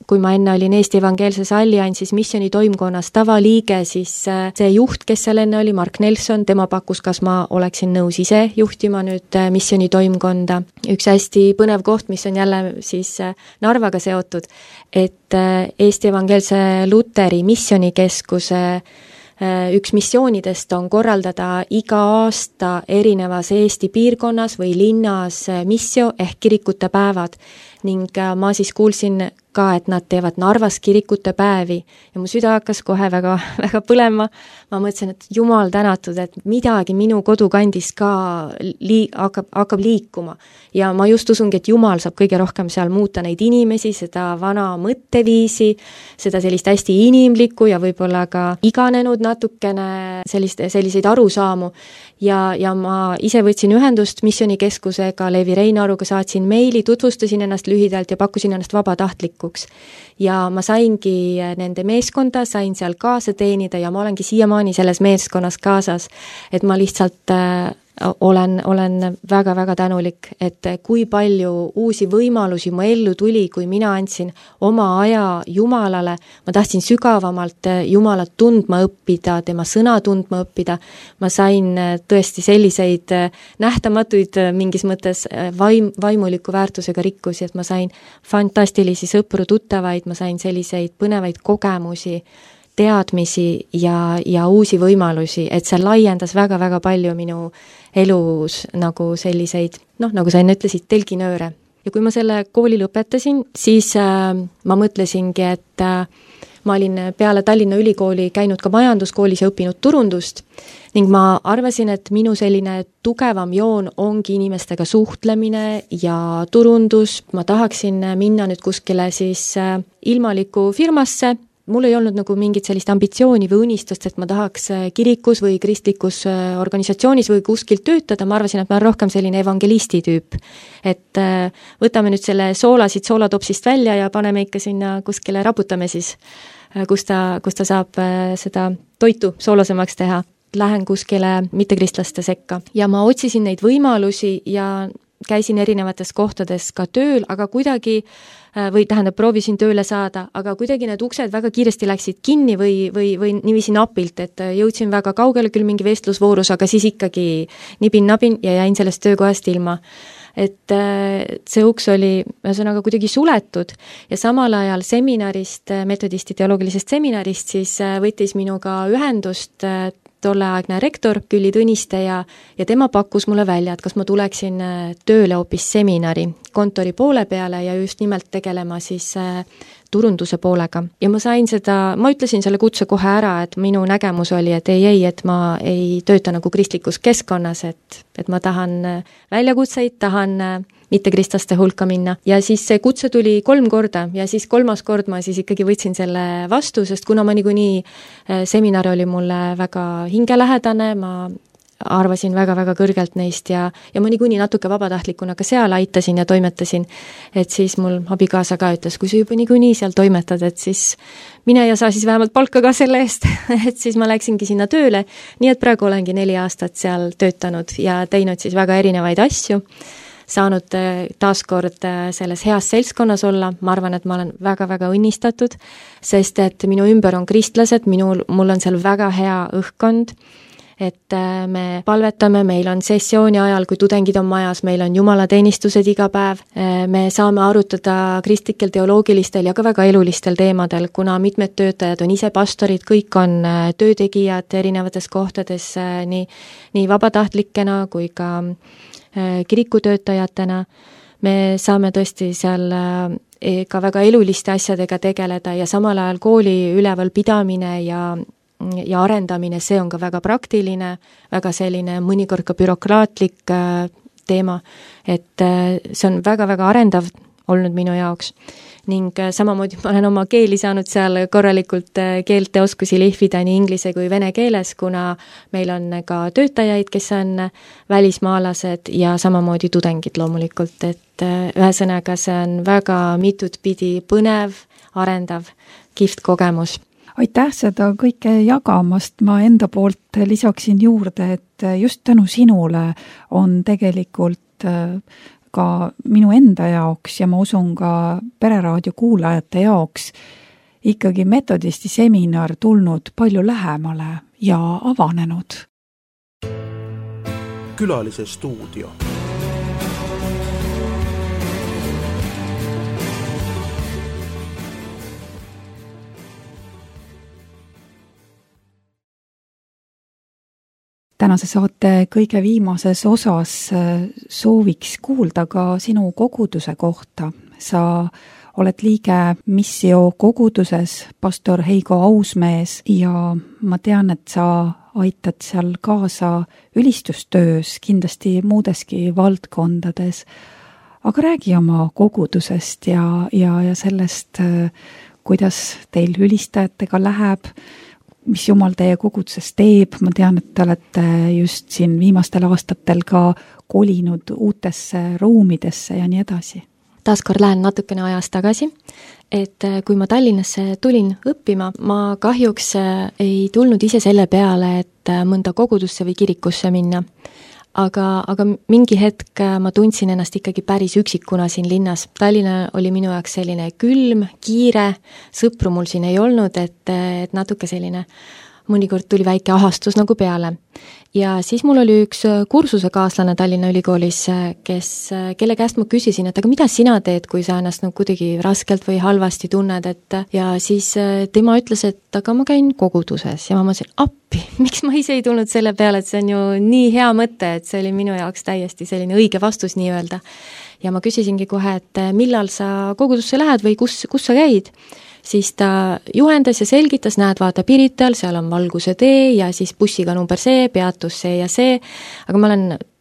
kui ma enne olin Eesti Evangeelses Alliansis missiooni toimkonnas tavaliige, siis see juht, kes seal enne oli, Mark Nelson, tema pakkus, kas ma oleksin nõus ise juhtima nüüd missiooni toimkonda. Üks hästi põnev koht, mis on jälle siis Narvaga seotud, et Eesti Evangeelse Luteri missioonikeskuse üks missioonidest on korraldada iga aasta erinevas Eesti piirkonnas või linnas missio ehk kirikute päevad ning ma siis kuulsin ka, et nad teevad Narvas kirikute päevi ja mu süda hakkas kohe väga, väga põlema. Ma mõtlesin, et jumal tänatud, et midagi minu kodukandis ka hakkab liikuma ja ma just usungi, et jumal saab kõige rohkem seal muuta neid inimesi, seda vana mõtteviisi, seda sellist hästi inimlikku ja võib-olla ka iganenud natukene selliseid arusaamu ja ma ise võtsin ühendust missioonikeskusega, Leevi Reinaruga saatsin meili, tutvustasin ennast lühidalt ja pakkusin ennast vabatahtlikuks. Ja ma saingi nende meeskonda, sain seal kaasa teenida ja ma olengi siiamaani selles meeskonnas kaasas, et ma lihtsalt olen väga-väga tänulik, et kui palju uusi võimalusi mu ellu tuli, kui mina andsin oma aja Jumalale, ma tahtsin sügavamalt Jumalat tundma õppida, tema sõna tundma õppida, ma sain tõesti selliseid nähtamatuid mingis mõttes vaimuliku väärtusega rikkusi, et ma sain fantastilisi sõpru, tuttavaid, ma sain selliseid põnevaid kogemusi, teadmisi ja uusi võimalusi, et see laiendas väga-väga palju minu elus nagu selliseid, nagu sa enne ütlesid, telginööre. Ja kui ma selle kooli lõpetasin, siis ma mõtlesingi, et ma olin peale Tallinna Ülikooli käinud ka majanduskoolis ja õppinud turundust ning ma arvasin, et minu selline tugevam joon ongi inimestega suhtlemine ja turundus. Ma tahaksin minna nüüd kuskile siis ilmaliku firmasse. Mul ei olnud nagu mingit sellist ambitsiooni või unistust, et ma tahaks kirikus või kristlikus organisatsioonis või kuskil töötada. Ma arvasin, et ma olen rohkem selline evangelisti tüüp. Et võtame nüüd selle soolasid soolatopsist välja ja paneme ikka sinna kuskile, raputame siis, kus ta saab seda toitu soolasemaks teha. Lähen kuskile mittekristlaste sekka ja ma otsisin neid võimalusi ja käisin erinevates kohtades ka tööl, aga kuidagi proovisin tööle saada, aga kuidagi need uksed väga kiiresti läksid kinni või niiviisi napilt, et jõudsin väga kaugele küll mingi vestlusvoorus, aga siis ikkagi nibin-nabin ja jäin sellest töökohast ilma. Et see uks oli ühesõnaga kuidagi suletud ja samal ajal seminarist, metodisti teoloogilisest seminarist, siis võttis minuga ühendust tolleaegne rektor Külli Tõniste ja tema pakkus mulle välja, et kas ma tuleksin tööle hoopis seminari kontori poole peale ja just nimelt tegelema siis turunduse poolega. Ja ma ütlesin selle kutse kohe ära, et minu nägemus oli, et et ma ei tööta nagu kristlikus keskkonnas, et ma tahan väljakutseid, tahan mittekristlaste hulka minna ja siis see kutse tuli 3 korda ja siis 3. kord ma siis ikkagi võtsin selle vastu, sest kuna ma niikuinii seminar oli mulle väga hingelähedane, ma arvasin väga-väga kõrgelt neist ja ma niikuinii natuke vabatahtlikuna ka seal aitasin ja toimetasin, et siis mul abikaasa ka ütles, kui sa juba niikuinii seal toimetad, et siis mine ja saa siis vähemalt palka ka selle eest, et siis ma läksingi sinna tööle, nii et praegu olengi 4 aastat seal töötanud ja teinud siis väga erinevaid asju, saanud taaskord selles heas seltskonnas olla, ma arvan, et ma olen väga-väga õnnistatud, sest et minu ümber on kristlased, mul on seal väga hea õhkkond, et me palvetame, meil on sessiooni ajal, kui tudengid on majas, meil on jumalateenistused iga päev, me saame arutada kristlikel, teoloogilistel ja ka väga elulistel teemadel, kuna mitmed töötajad on ise pastorid, kõik on töötegijad erinevates kohtades nii vabatahtlikena kui ka kirikutöötajatena. Me saame tõesti seal ka väga eluliste asjadega tegeleda ja samal ajal kooli üleval pidamine ja arendamine, see on ka väga praktiline, väga selline mõnikord ka bürokraatlik teema, et see on väga-väga arendav olnud minu jaoks ning samamoodi ma olen oma keeli saanud seal korralikult keelte oskusi lihvida nii inglise kui vene keeles, kuna meil on ka töötajaid, kes on välismaalased ja samamoodi tudengid loomulikult, et ühesõnaga see on väga mitut pidi põnev, arendav, kihvt kogemus. Aitäh seda kõike jagamast, ma enda poolt lisaksin juurde, et just tänu sinule on tegelikult ka minu enda jaoks ja ma usun ka Pereraadio kuulajate jaoks ikkagi metodisti seminar tulnud palju lähemale ja avanenud. Külalise stuudio. tänase saate kõige viimases osas sooviks kuulda ka sinu koguduse kohta. Sa oled liige Missio koguduses, pastor Heigo Ausmees ja ma tean, et sa aitad seal kaasa ülistustöös, kindlasti muudeski valdkondades. Aga räägi oma kogudusest ja sellest, kuidas teil ülistajatega läheb, mis Jumal teie koguduses teeb. Ma tean, et te olete just siin viimastel aastatel ka kolinud uutesse ruumidesse ja nii edasi. Taaskord lähen natukene ajas tagasi, et kui ma Tallinnasse tulin õppima, ma kahjuks ei tulnud ise selle peale, et mõnda kogudusse või kirikusse minna. Aga mingi hetk ma tundsin ennast ikkagi päris üksikuna siin linnas. Tallinna oli minu jaoks selline külm, kiire, sõpru mul siin ei olnud, et natuke selline mõnikord tuli väike ahastus nagu peale. Ja siis mul oli üks kursusekaaslane Tallinna Ülikoolis, kelle käest ma küsisin, et aga mida sina teed, kui sa ennast kuidagi raskelt või halvasti tunned, ja siis tema ütles, et aga ma käin koguduses ja ma mõtlesin, appi, miks ma ise ei tulnud selle peale, et see on ju nii hea mõte, et see oli minu jaoks täiesti selline õige vastus nii öelda. Ja ma küsisingi kohe, et millal sa kogudusse lähed või kus sa käid? Siis ta juhendas ja selgitas, näed, vaata Pirital, seal on Valguse tee ja siis bussiga number see, peatus see ja see, aga ma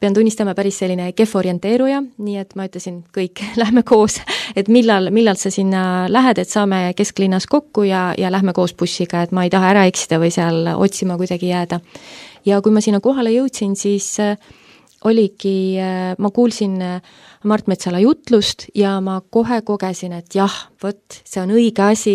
pean tunnistama päris selline kehv orienteeruja, nii et ma ütlesin, kõik, lähme koos, et millal sa sinna lähed, et saame kesklinnas kokku ja lähme koos bussiga, et ma ei taha ära eksida või seal otsima kuidagi jääda. Ja kui ma sinna kohale jõudsin, siis oligi, ma kuulsin Mart Metsala jutlust ja ma kohe kogesin, et jah, võt, see on õige asi,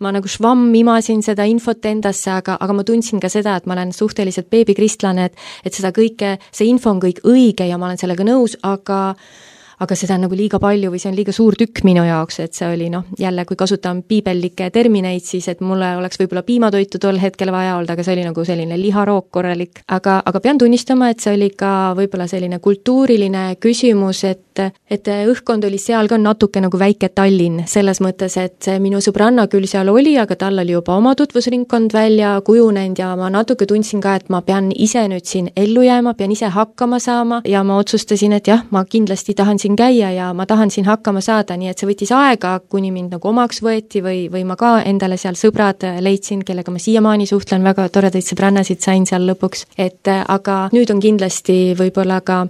ma nagu švamm imasin seda infot endasse, aga ma tundsin ka seda, et ma olen suhteliselt beebikristlane, et seda kõike, see info on kõik õige ja ma olen sellega nõus, aga seda on nagu liiga palju või see on liiga suur tükk minu jaoks, et see oli jälle, kui kasutan piibellikke termineid, siis et mulle oleks võib-olla piimatoitu tol hetkel vaja olnud, aga see oli nagu selline liharook korralik. Aga pean tunnistama, et see oli ka võib-olla selline kultuuriline küsimus, et õhkkond oli seal ka natuke nagu väike Tallinn, selles mõttes, et minu sõbranna küll seal oli, aga tal oli juba oma tutvusringkond välja kujunenud ja ma natuke tundsin ka, et ma pean ise nüüd siin ellu jääma, pean ise hakkama saama ja ma otsustasin, et jah, ma kindlasti tahan siin käia ja ma tahan siin hakkama saada, nii et see võttis aega, kuni mind nagu omaks võeti või ma ka endale seal sõbrad leidsin, kellega ma siiamaani suhtlen, väga toredaid sõbrannasid sain seal lõpuks, aga nüüd on kindlasti võib-olla ka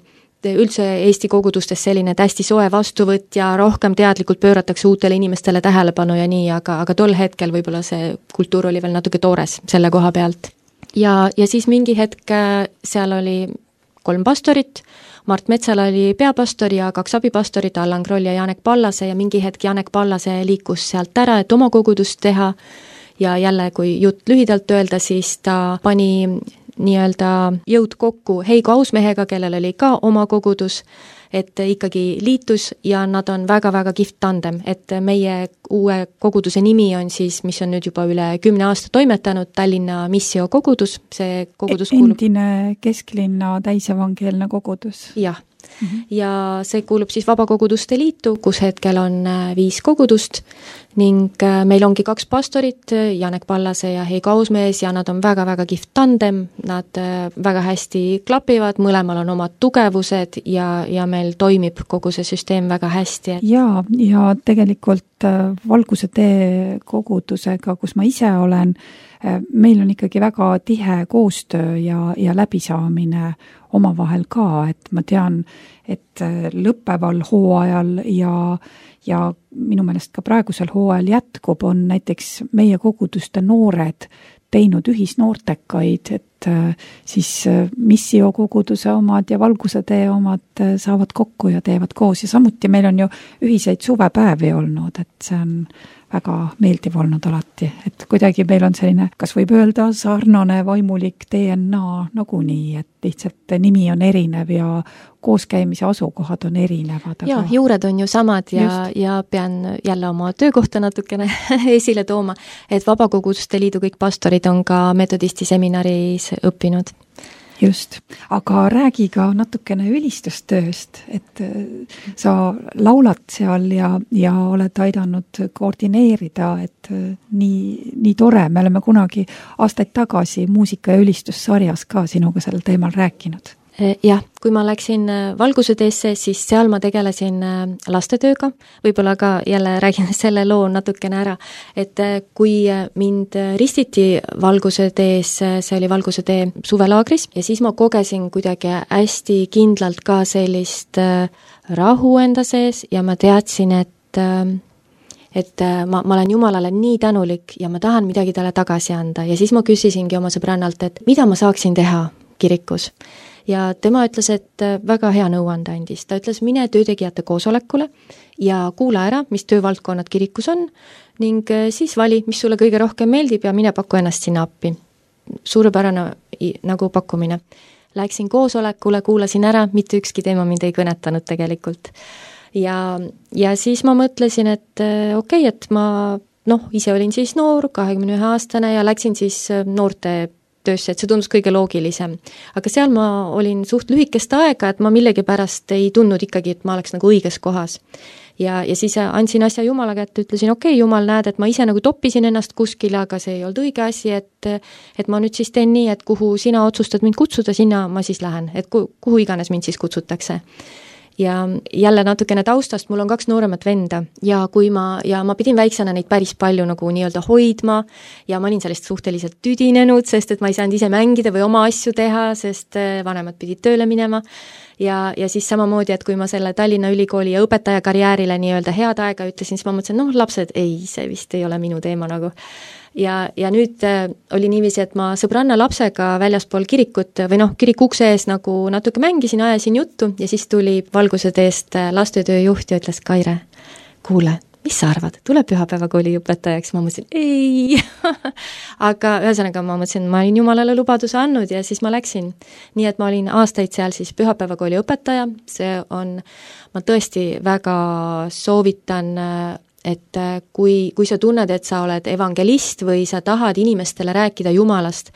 üldse Eesti kogudustes selline hästi soe vastuvõtt ja rohkem teadlikult pööratakse uutele inimestele tähelepanu ja nii, aga tol hetkel võib-olla see kultuur oli veel natuke toores selle koha pealt. Ja siis mingi hetk seal oli 3 pastorit, Mart Metsala oli peapastor ja 2 abipastorit, Allan Kroll ja Janek Pallase ja mingi hetk Janek Pallase liikus sealt ära, et oma kogudust teha ja jälle, kui jutt lühidalt öelda, siis ta pani nii-öelda jõud kokku Heigo Ausmehega, kellel oli ka oma kogudus, et ikkagi liitus ja nad on väga-väga kihvt tandem, et meie uue koguduse nimi on siis, mis on nüüd juba üle 10 aasta toimetanud, Tallinna Missio kogudus, see kogudus kuulub... Endine kesklinna täisevangeelne kogudus. Jah. Ja see kuulub siis Vabakoguduste Liitu, kus hetkel on 5 kogudust ning meil ongi 2 pastorit, Janek Pallase ja Heigo Ausmees ja nad on väga-väga kihvt tandem, nad väga hästi klapivad, mõlemal on omad tugevused ja meil toimib kogu see süsteem väga hästi. Ja tegelikult Valguse tee kogudusega, kus ma ise olen, meil on ikkagi väga tihe koostöö ja läbisaamine omavahel ka, et ma tean, et lõppeval hooajal ja minu meelest ka praegusel hooajal jätkub, on näiteks meie koguduste noored teinud ühisnoortekaid, et siis Missio koguduse omad ja Valguse tee omad saavad kokku ja teevad koos ja samuti meil on ju ühiseid suvepäevi olnud, et see on väga meeldiv olnud alati, et kuidagi meil on selline, kas võib öelda, sarnane vaimulik DNA nagunii, et lihtsalt nimi on erinev ja kooskäimise asukohad on erinevad. Ja juured on ju samad ja pean jälle oma töökohta natukene esile tooma, et Vabakoguduste Liidu kõik pastorid on ka metodisti seminaris õppinud. just, aga räägi ka natukene ülistustööst, et sa laulad seal ja oled aidanud koordineerida, et nii tore, me oleme kunagi aastaid tagasi muusika- ja ülistussarjas ka sinuga sel teemal rääkinud. Jah, kui ma läksin Valguse teesse, siis seal ma tegelesin lastetööga, võib-olla ka jälle räägin selle loo natukene ära, et kui mind ristiti Valguse tees, see oli Valguse tee suvelaagris ja siis ma kogesin kuidagi hästi kindlalt ka sellist rahu enda sees ja ma teadsin, et ma olen Jumalale nii tänulik ja ma tahan midagi talle tagasi anda ja siis ma küsisingi oma sõbrannalt, et mida ma saaksin teha kirikus. Ja tema ütles, et väga hea nõuande andis. Ta ütles, mine töötegijate koosolekule ja kuula ära, mis töövaldkonnad kirikus on ning siis vali, mis sulle kõige rohkem meeldib ja mine paku ennast sinna appi. Suurepärane nagu pakkumine. Läksin koosolekule, kuulasin ära, mitte ükski teema mind ei kõnetanud tegelikult. Ja siis ma mõtlesin, et okei, et ma ise olin siis noor, 21-aastane ja läksin siis noorte töösse, et see tundus kõige loogilisem. Aga seal ma olin suht lühikest aega, et ma millegipärast ei tundnud ikkagi, et ma oleks nagu õiges kohas. Ja siis andsin asja Jumala kätte, ütlesin, okei, Jumal, näed, et ma ise nagu toppisin ennast kuskile, aga see ei olnud õige asi, et ma nüüd siis teen nii, et kuhu sina otsustad mind kutsuda, sinna ma siis lähen, et kuhu iganes mind siis kutsutakse. Ja jälle natukene taustast, mul on 2 nooremat venda ja ma pidin väiksena neid päris palju nagu nii-öelda hoidma ja ma olin sellest suhteliselt tüdinenud, sest et ma ei saanud ise mängida või oma asju teha, sest vanemad pidid tööle minema ja siis samamoodi, et kui ma selle Tallinna Ülikooli ja õpetaja karjäärile nii-öelda head aega ütlesin, siis ma mõtlesin, lapsed, ei, see vist ei ole minu teema nagu. Ja nüüd oli niiviisi, et ma sõbranna lapsega väljaspool kirikut või kiriku ukse ees nagu natuke mängisin, ajasin juttu ja siis tuli Valguse teest lastetööjuht ja ütles, Kaire, kuule, mis sa arvad, tule pühapäevakooli õpetajaks? Ma mõtlesin, ei, aga ühesõnaga ma mõtlesin, ma olin Jumalale lubaduse andnud ja siis ma läksin. Nii et ma olin aastaid seal siis pühapäevakooli õpetaja, see on, ma tõesti väga soovitan, et kui sa tunned, et sa oled evangelist või sa tahad inimestele rääkida Jumalast,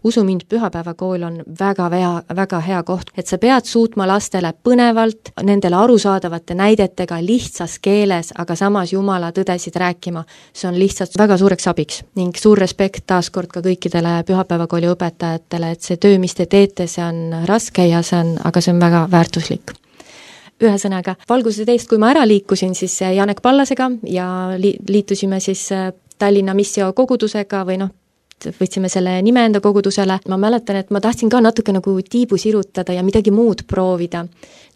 usu mind, pühapäevakool on väga hea koht, et sa pead suutma lastele põnevalt, nendele arusaadavate näidetega lihtsas keeles, aga samas Jumala tõdesid rääkima. See on lihtsalt väga suureks abiks ning suur respekt taaskord ka kõikidele pühapäevakooli õpetajatele, et see töö, mis te teete, see on raske ja aga see on väga väärtuslik. Ühesõnaga, Valguse teest, kui ma ära liikusin siis Janek Pallasega ja liitusime siis Tallinna Missio kogudusega või võtsime selle nime enda kogudusele. Ma mäletan, et ma tahtsin ka natuke nagu tiibu sirutada ja midagi muud proovida.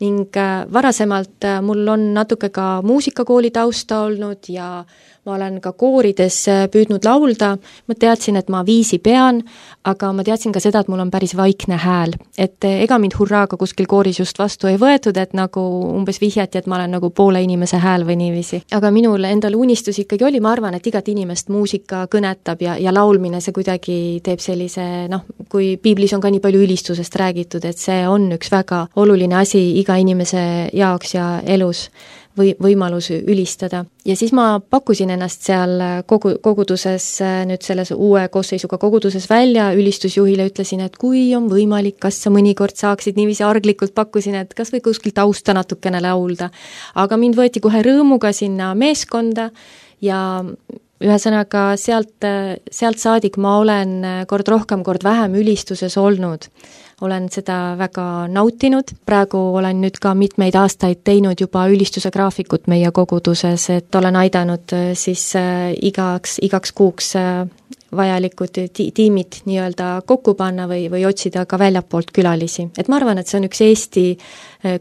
Ning varasemalt mul on natuke ka muusikakooli tausta olnud ja ma olen ka koorides püüdnud laulda. Ma teadsin, et ma viisi pean, aga ma teadsin ka seda, et mul on päris vaikne hääl. Et ega mind hurraaga kuskil kooris just vastu ei võetud, et nagu umbes vihjati, et ma olen nagu poole inimese hääl või niiviisi. Aga minul endal unistus ikkagi oli, ma arvan, et igat inimest muusika kõnetab ja laulmine see kuidagi teeb sellise, kui piiblis on ka nii palju ülistusest räägitud, et see on üks väga oluline asi iga inimese jaoks ja elus või võimalus ülistada. Ja siis ma pakkusin ennast seal koguduses, nüüd selles uue koosseisuga koguduses välja, ülistusjuhile ütlesin, et kui on võimalik, kas sa mõnikord saaksid niiviisi arglikult pakkusin, et kas või kuskil tausta natukene laulda. Aga mind võeti kohe rõõmuga sinna meeskonda ja ühesõnaga sealt saadik ma olen kord rohkem, kord vähem ülistuses olnud. Olen seda väga nautinud. Praegu olen nüüd ka mitmeid aastaid teinud juba ülistuse graafikut meie koguduses, et olen aidanud siis igaks kuuks vajalikud tiimid nii-öelda kokku panna või otsida ka väljapoolt külalisi. Et ma arvan, et see on üks Eesti,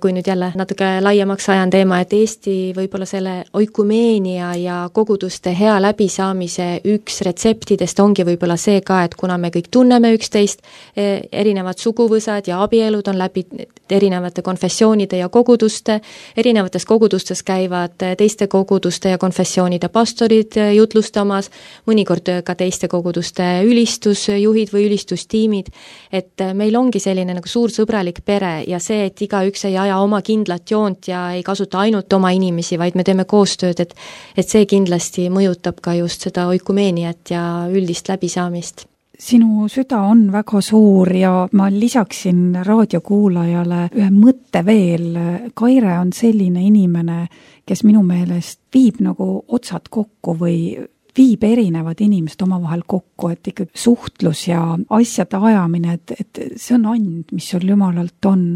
kui nüüd jälle natuke laiemaks ajan teema, et Eesti võib-olla selle oikumeenia ja koguduste hea läbisaamise üks retseptidest ongi võib-olla see ka, et kuna me kõik tunneme üksteist, erinevad suguvõsad ja abielud on läbi erinevate konfessioonide ja koguduste, erinevates kogudustes käivad teiste koguduste ja konfessioonide pastorid jutlustamas, mõnikord ka teiste koguduste ülistusjuhid või ülistustiimid, et meil ongi selline nagu suur sõbralik pere ja see, et igaüks ei aja oma kindlat joont ja ei kasuta ainult oma inimesi, vaid me teeme koostööd, et see kindlasti mõjutab ka just seda oikumeeniat ja üldist läbisaamist. sinu süda on väga suur ja ma lisaksin raadiokuulajale ühe mõtte veel. Kaire on selline inimene, kes minu meelest viib nagu otsad kokku või viib erinevad inimesed omavahel kokku, et ikkagi suhtlus ja asjade ajamine, et see on and, mis sul Jumalalt on.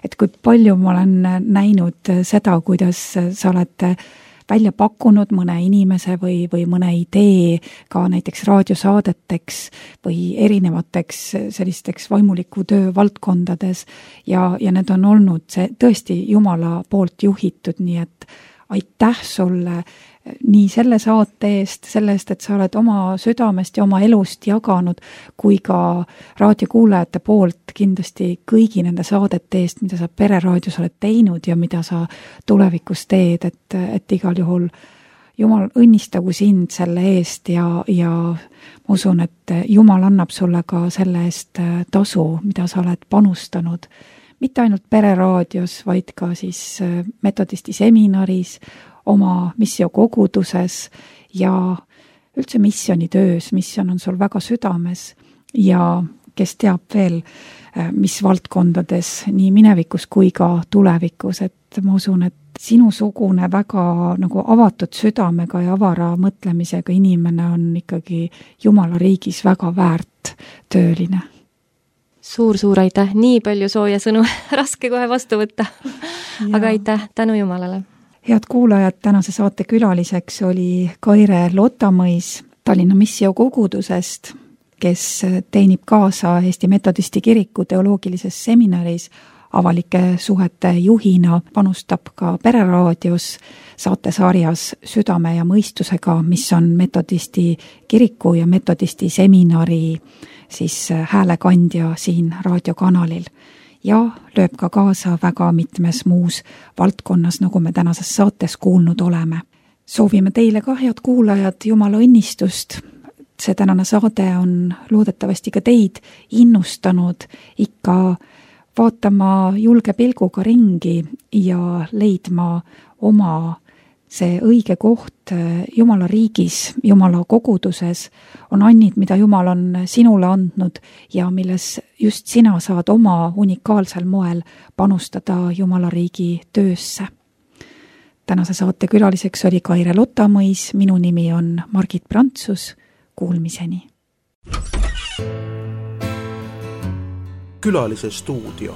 Et kui palju ma olen näinud seda, kuidas sa oled välja pakkunud mõne inimese või mõne idee ka näiteks raadiosaadeteks või erinevateks sellisteks vaimuliku töö valdkondades ja need on olnud tõesti Jumala poolt juhitud, nii et aitäh sulle nii selle saate eest, selle eest, et sa oled oma südamest ja oma elust jaganud, kui ka raadiokuulajate poolt kindlasti kõigi nende saadete eest, mida sa Pereraadios oled teinud ja mida sa tulevikus teed, et igal juhul Jumal õnnistagu sind selle eest ja ma usun, et Jumal annab sulle ka selle eest tasu, mida sa oled panustanud, mitte ainult Pereraadios, vaid ka siis metodisti seminaris, oma missiokoguduses ja üldse missionitöös. Misjon on sul väga südames ja kes teab veel, mis valdkondades nii minevikus kui ka tulevikus, et ma usun, et sinusugune väga nagu avatud südamega ja avara mõtlemisega inimene on ikkagi Jumala riigis väga väärt tööline. Suur aitäh, nii palju sooja sõnu, raske kohe vastu võtta, aga aitäh, tänu Jumalale. Head kuulajad, tänase saate külaliseks oli Kaire Lotamõis Tallinna missiookogudusest, kes teenib kaasa Eesti Metodisti Kiriku teoloogilises seminaris avalike suhete juhina, panustab ka Pereraadios saatesarjas Südame ja mõistusega, mis on Metodisti Kiriku ja Metodisti seminari siis häälekandja siin raadiokanalil. Ja lööb ka kaasa väga mitmes muus valdkonnas, nagu me tänases saates kuulnud oleme. Soovime teile ka, head kuulajad, Jumala õnnistust. See tänane saade on loodetavasti ka teid innustanud ikka vaatama julge pilguga ringi ja leidma oma see õige koht Jumala riigis, Jumala koguduses on annid, mida Jumal on sinule andnud ja milles just sina saad oma unikaalsel moel panustada Jumala riigi töösse. Tänase saate külaliseks oli Kaire Lotamõis, minu nimi on Margit Prantsus, kuulmiseni. Külalise stuudio.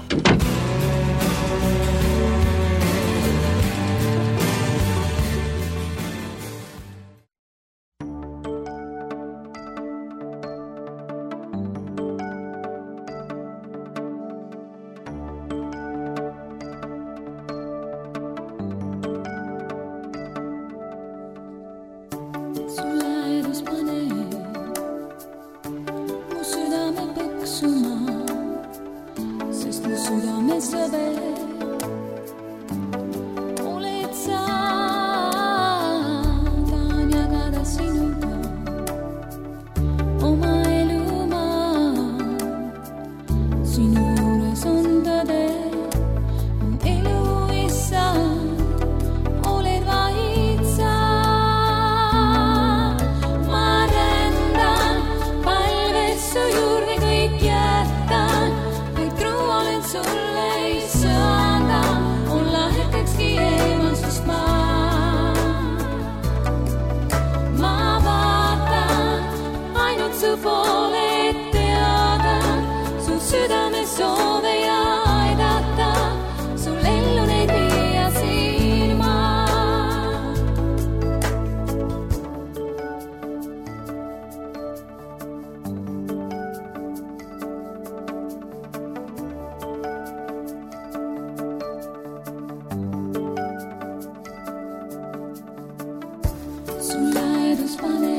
Sun lähedus pane,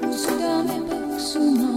mu südame põksuma.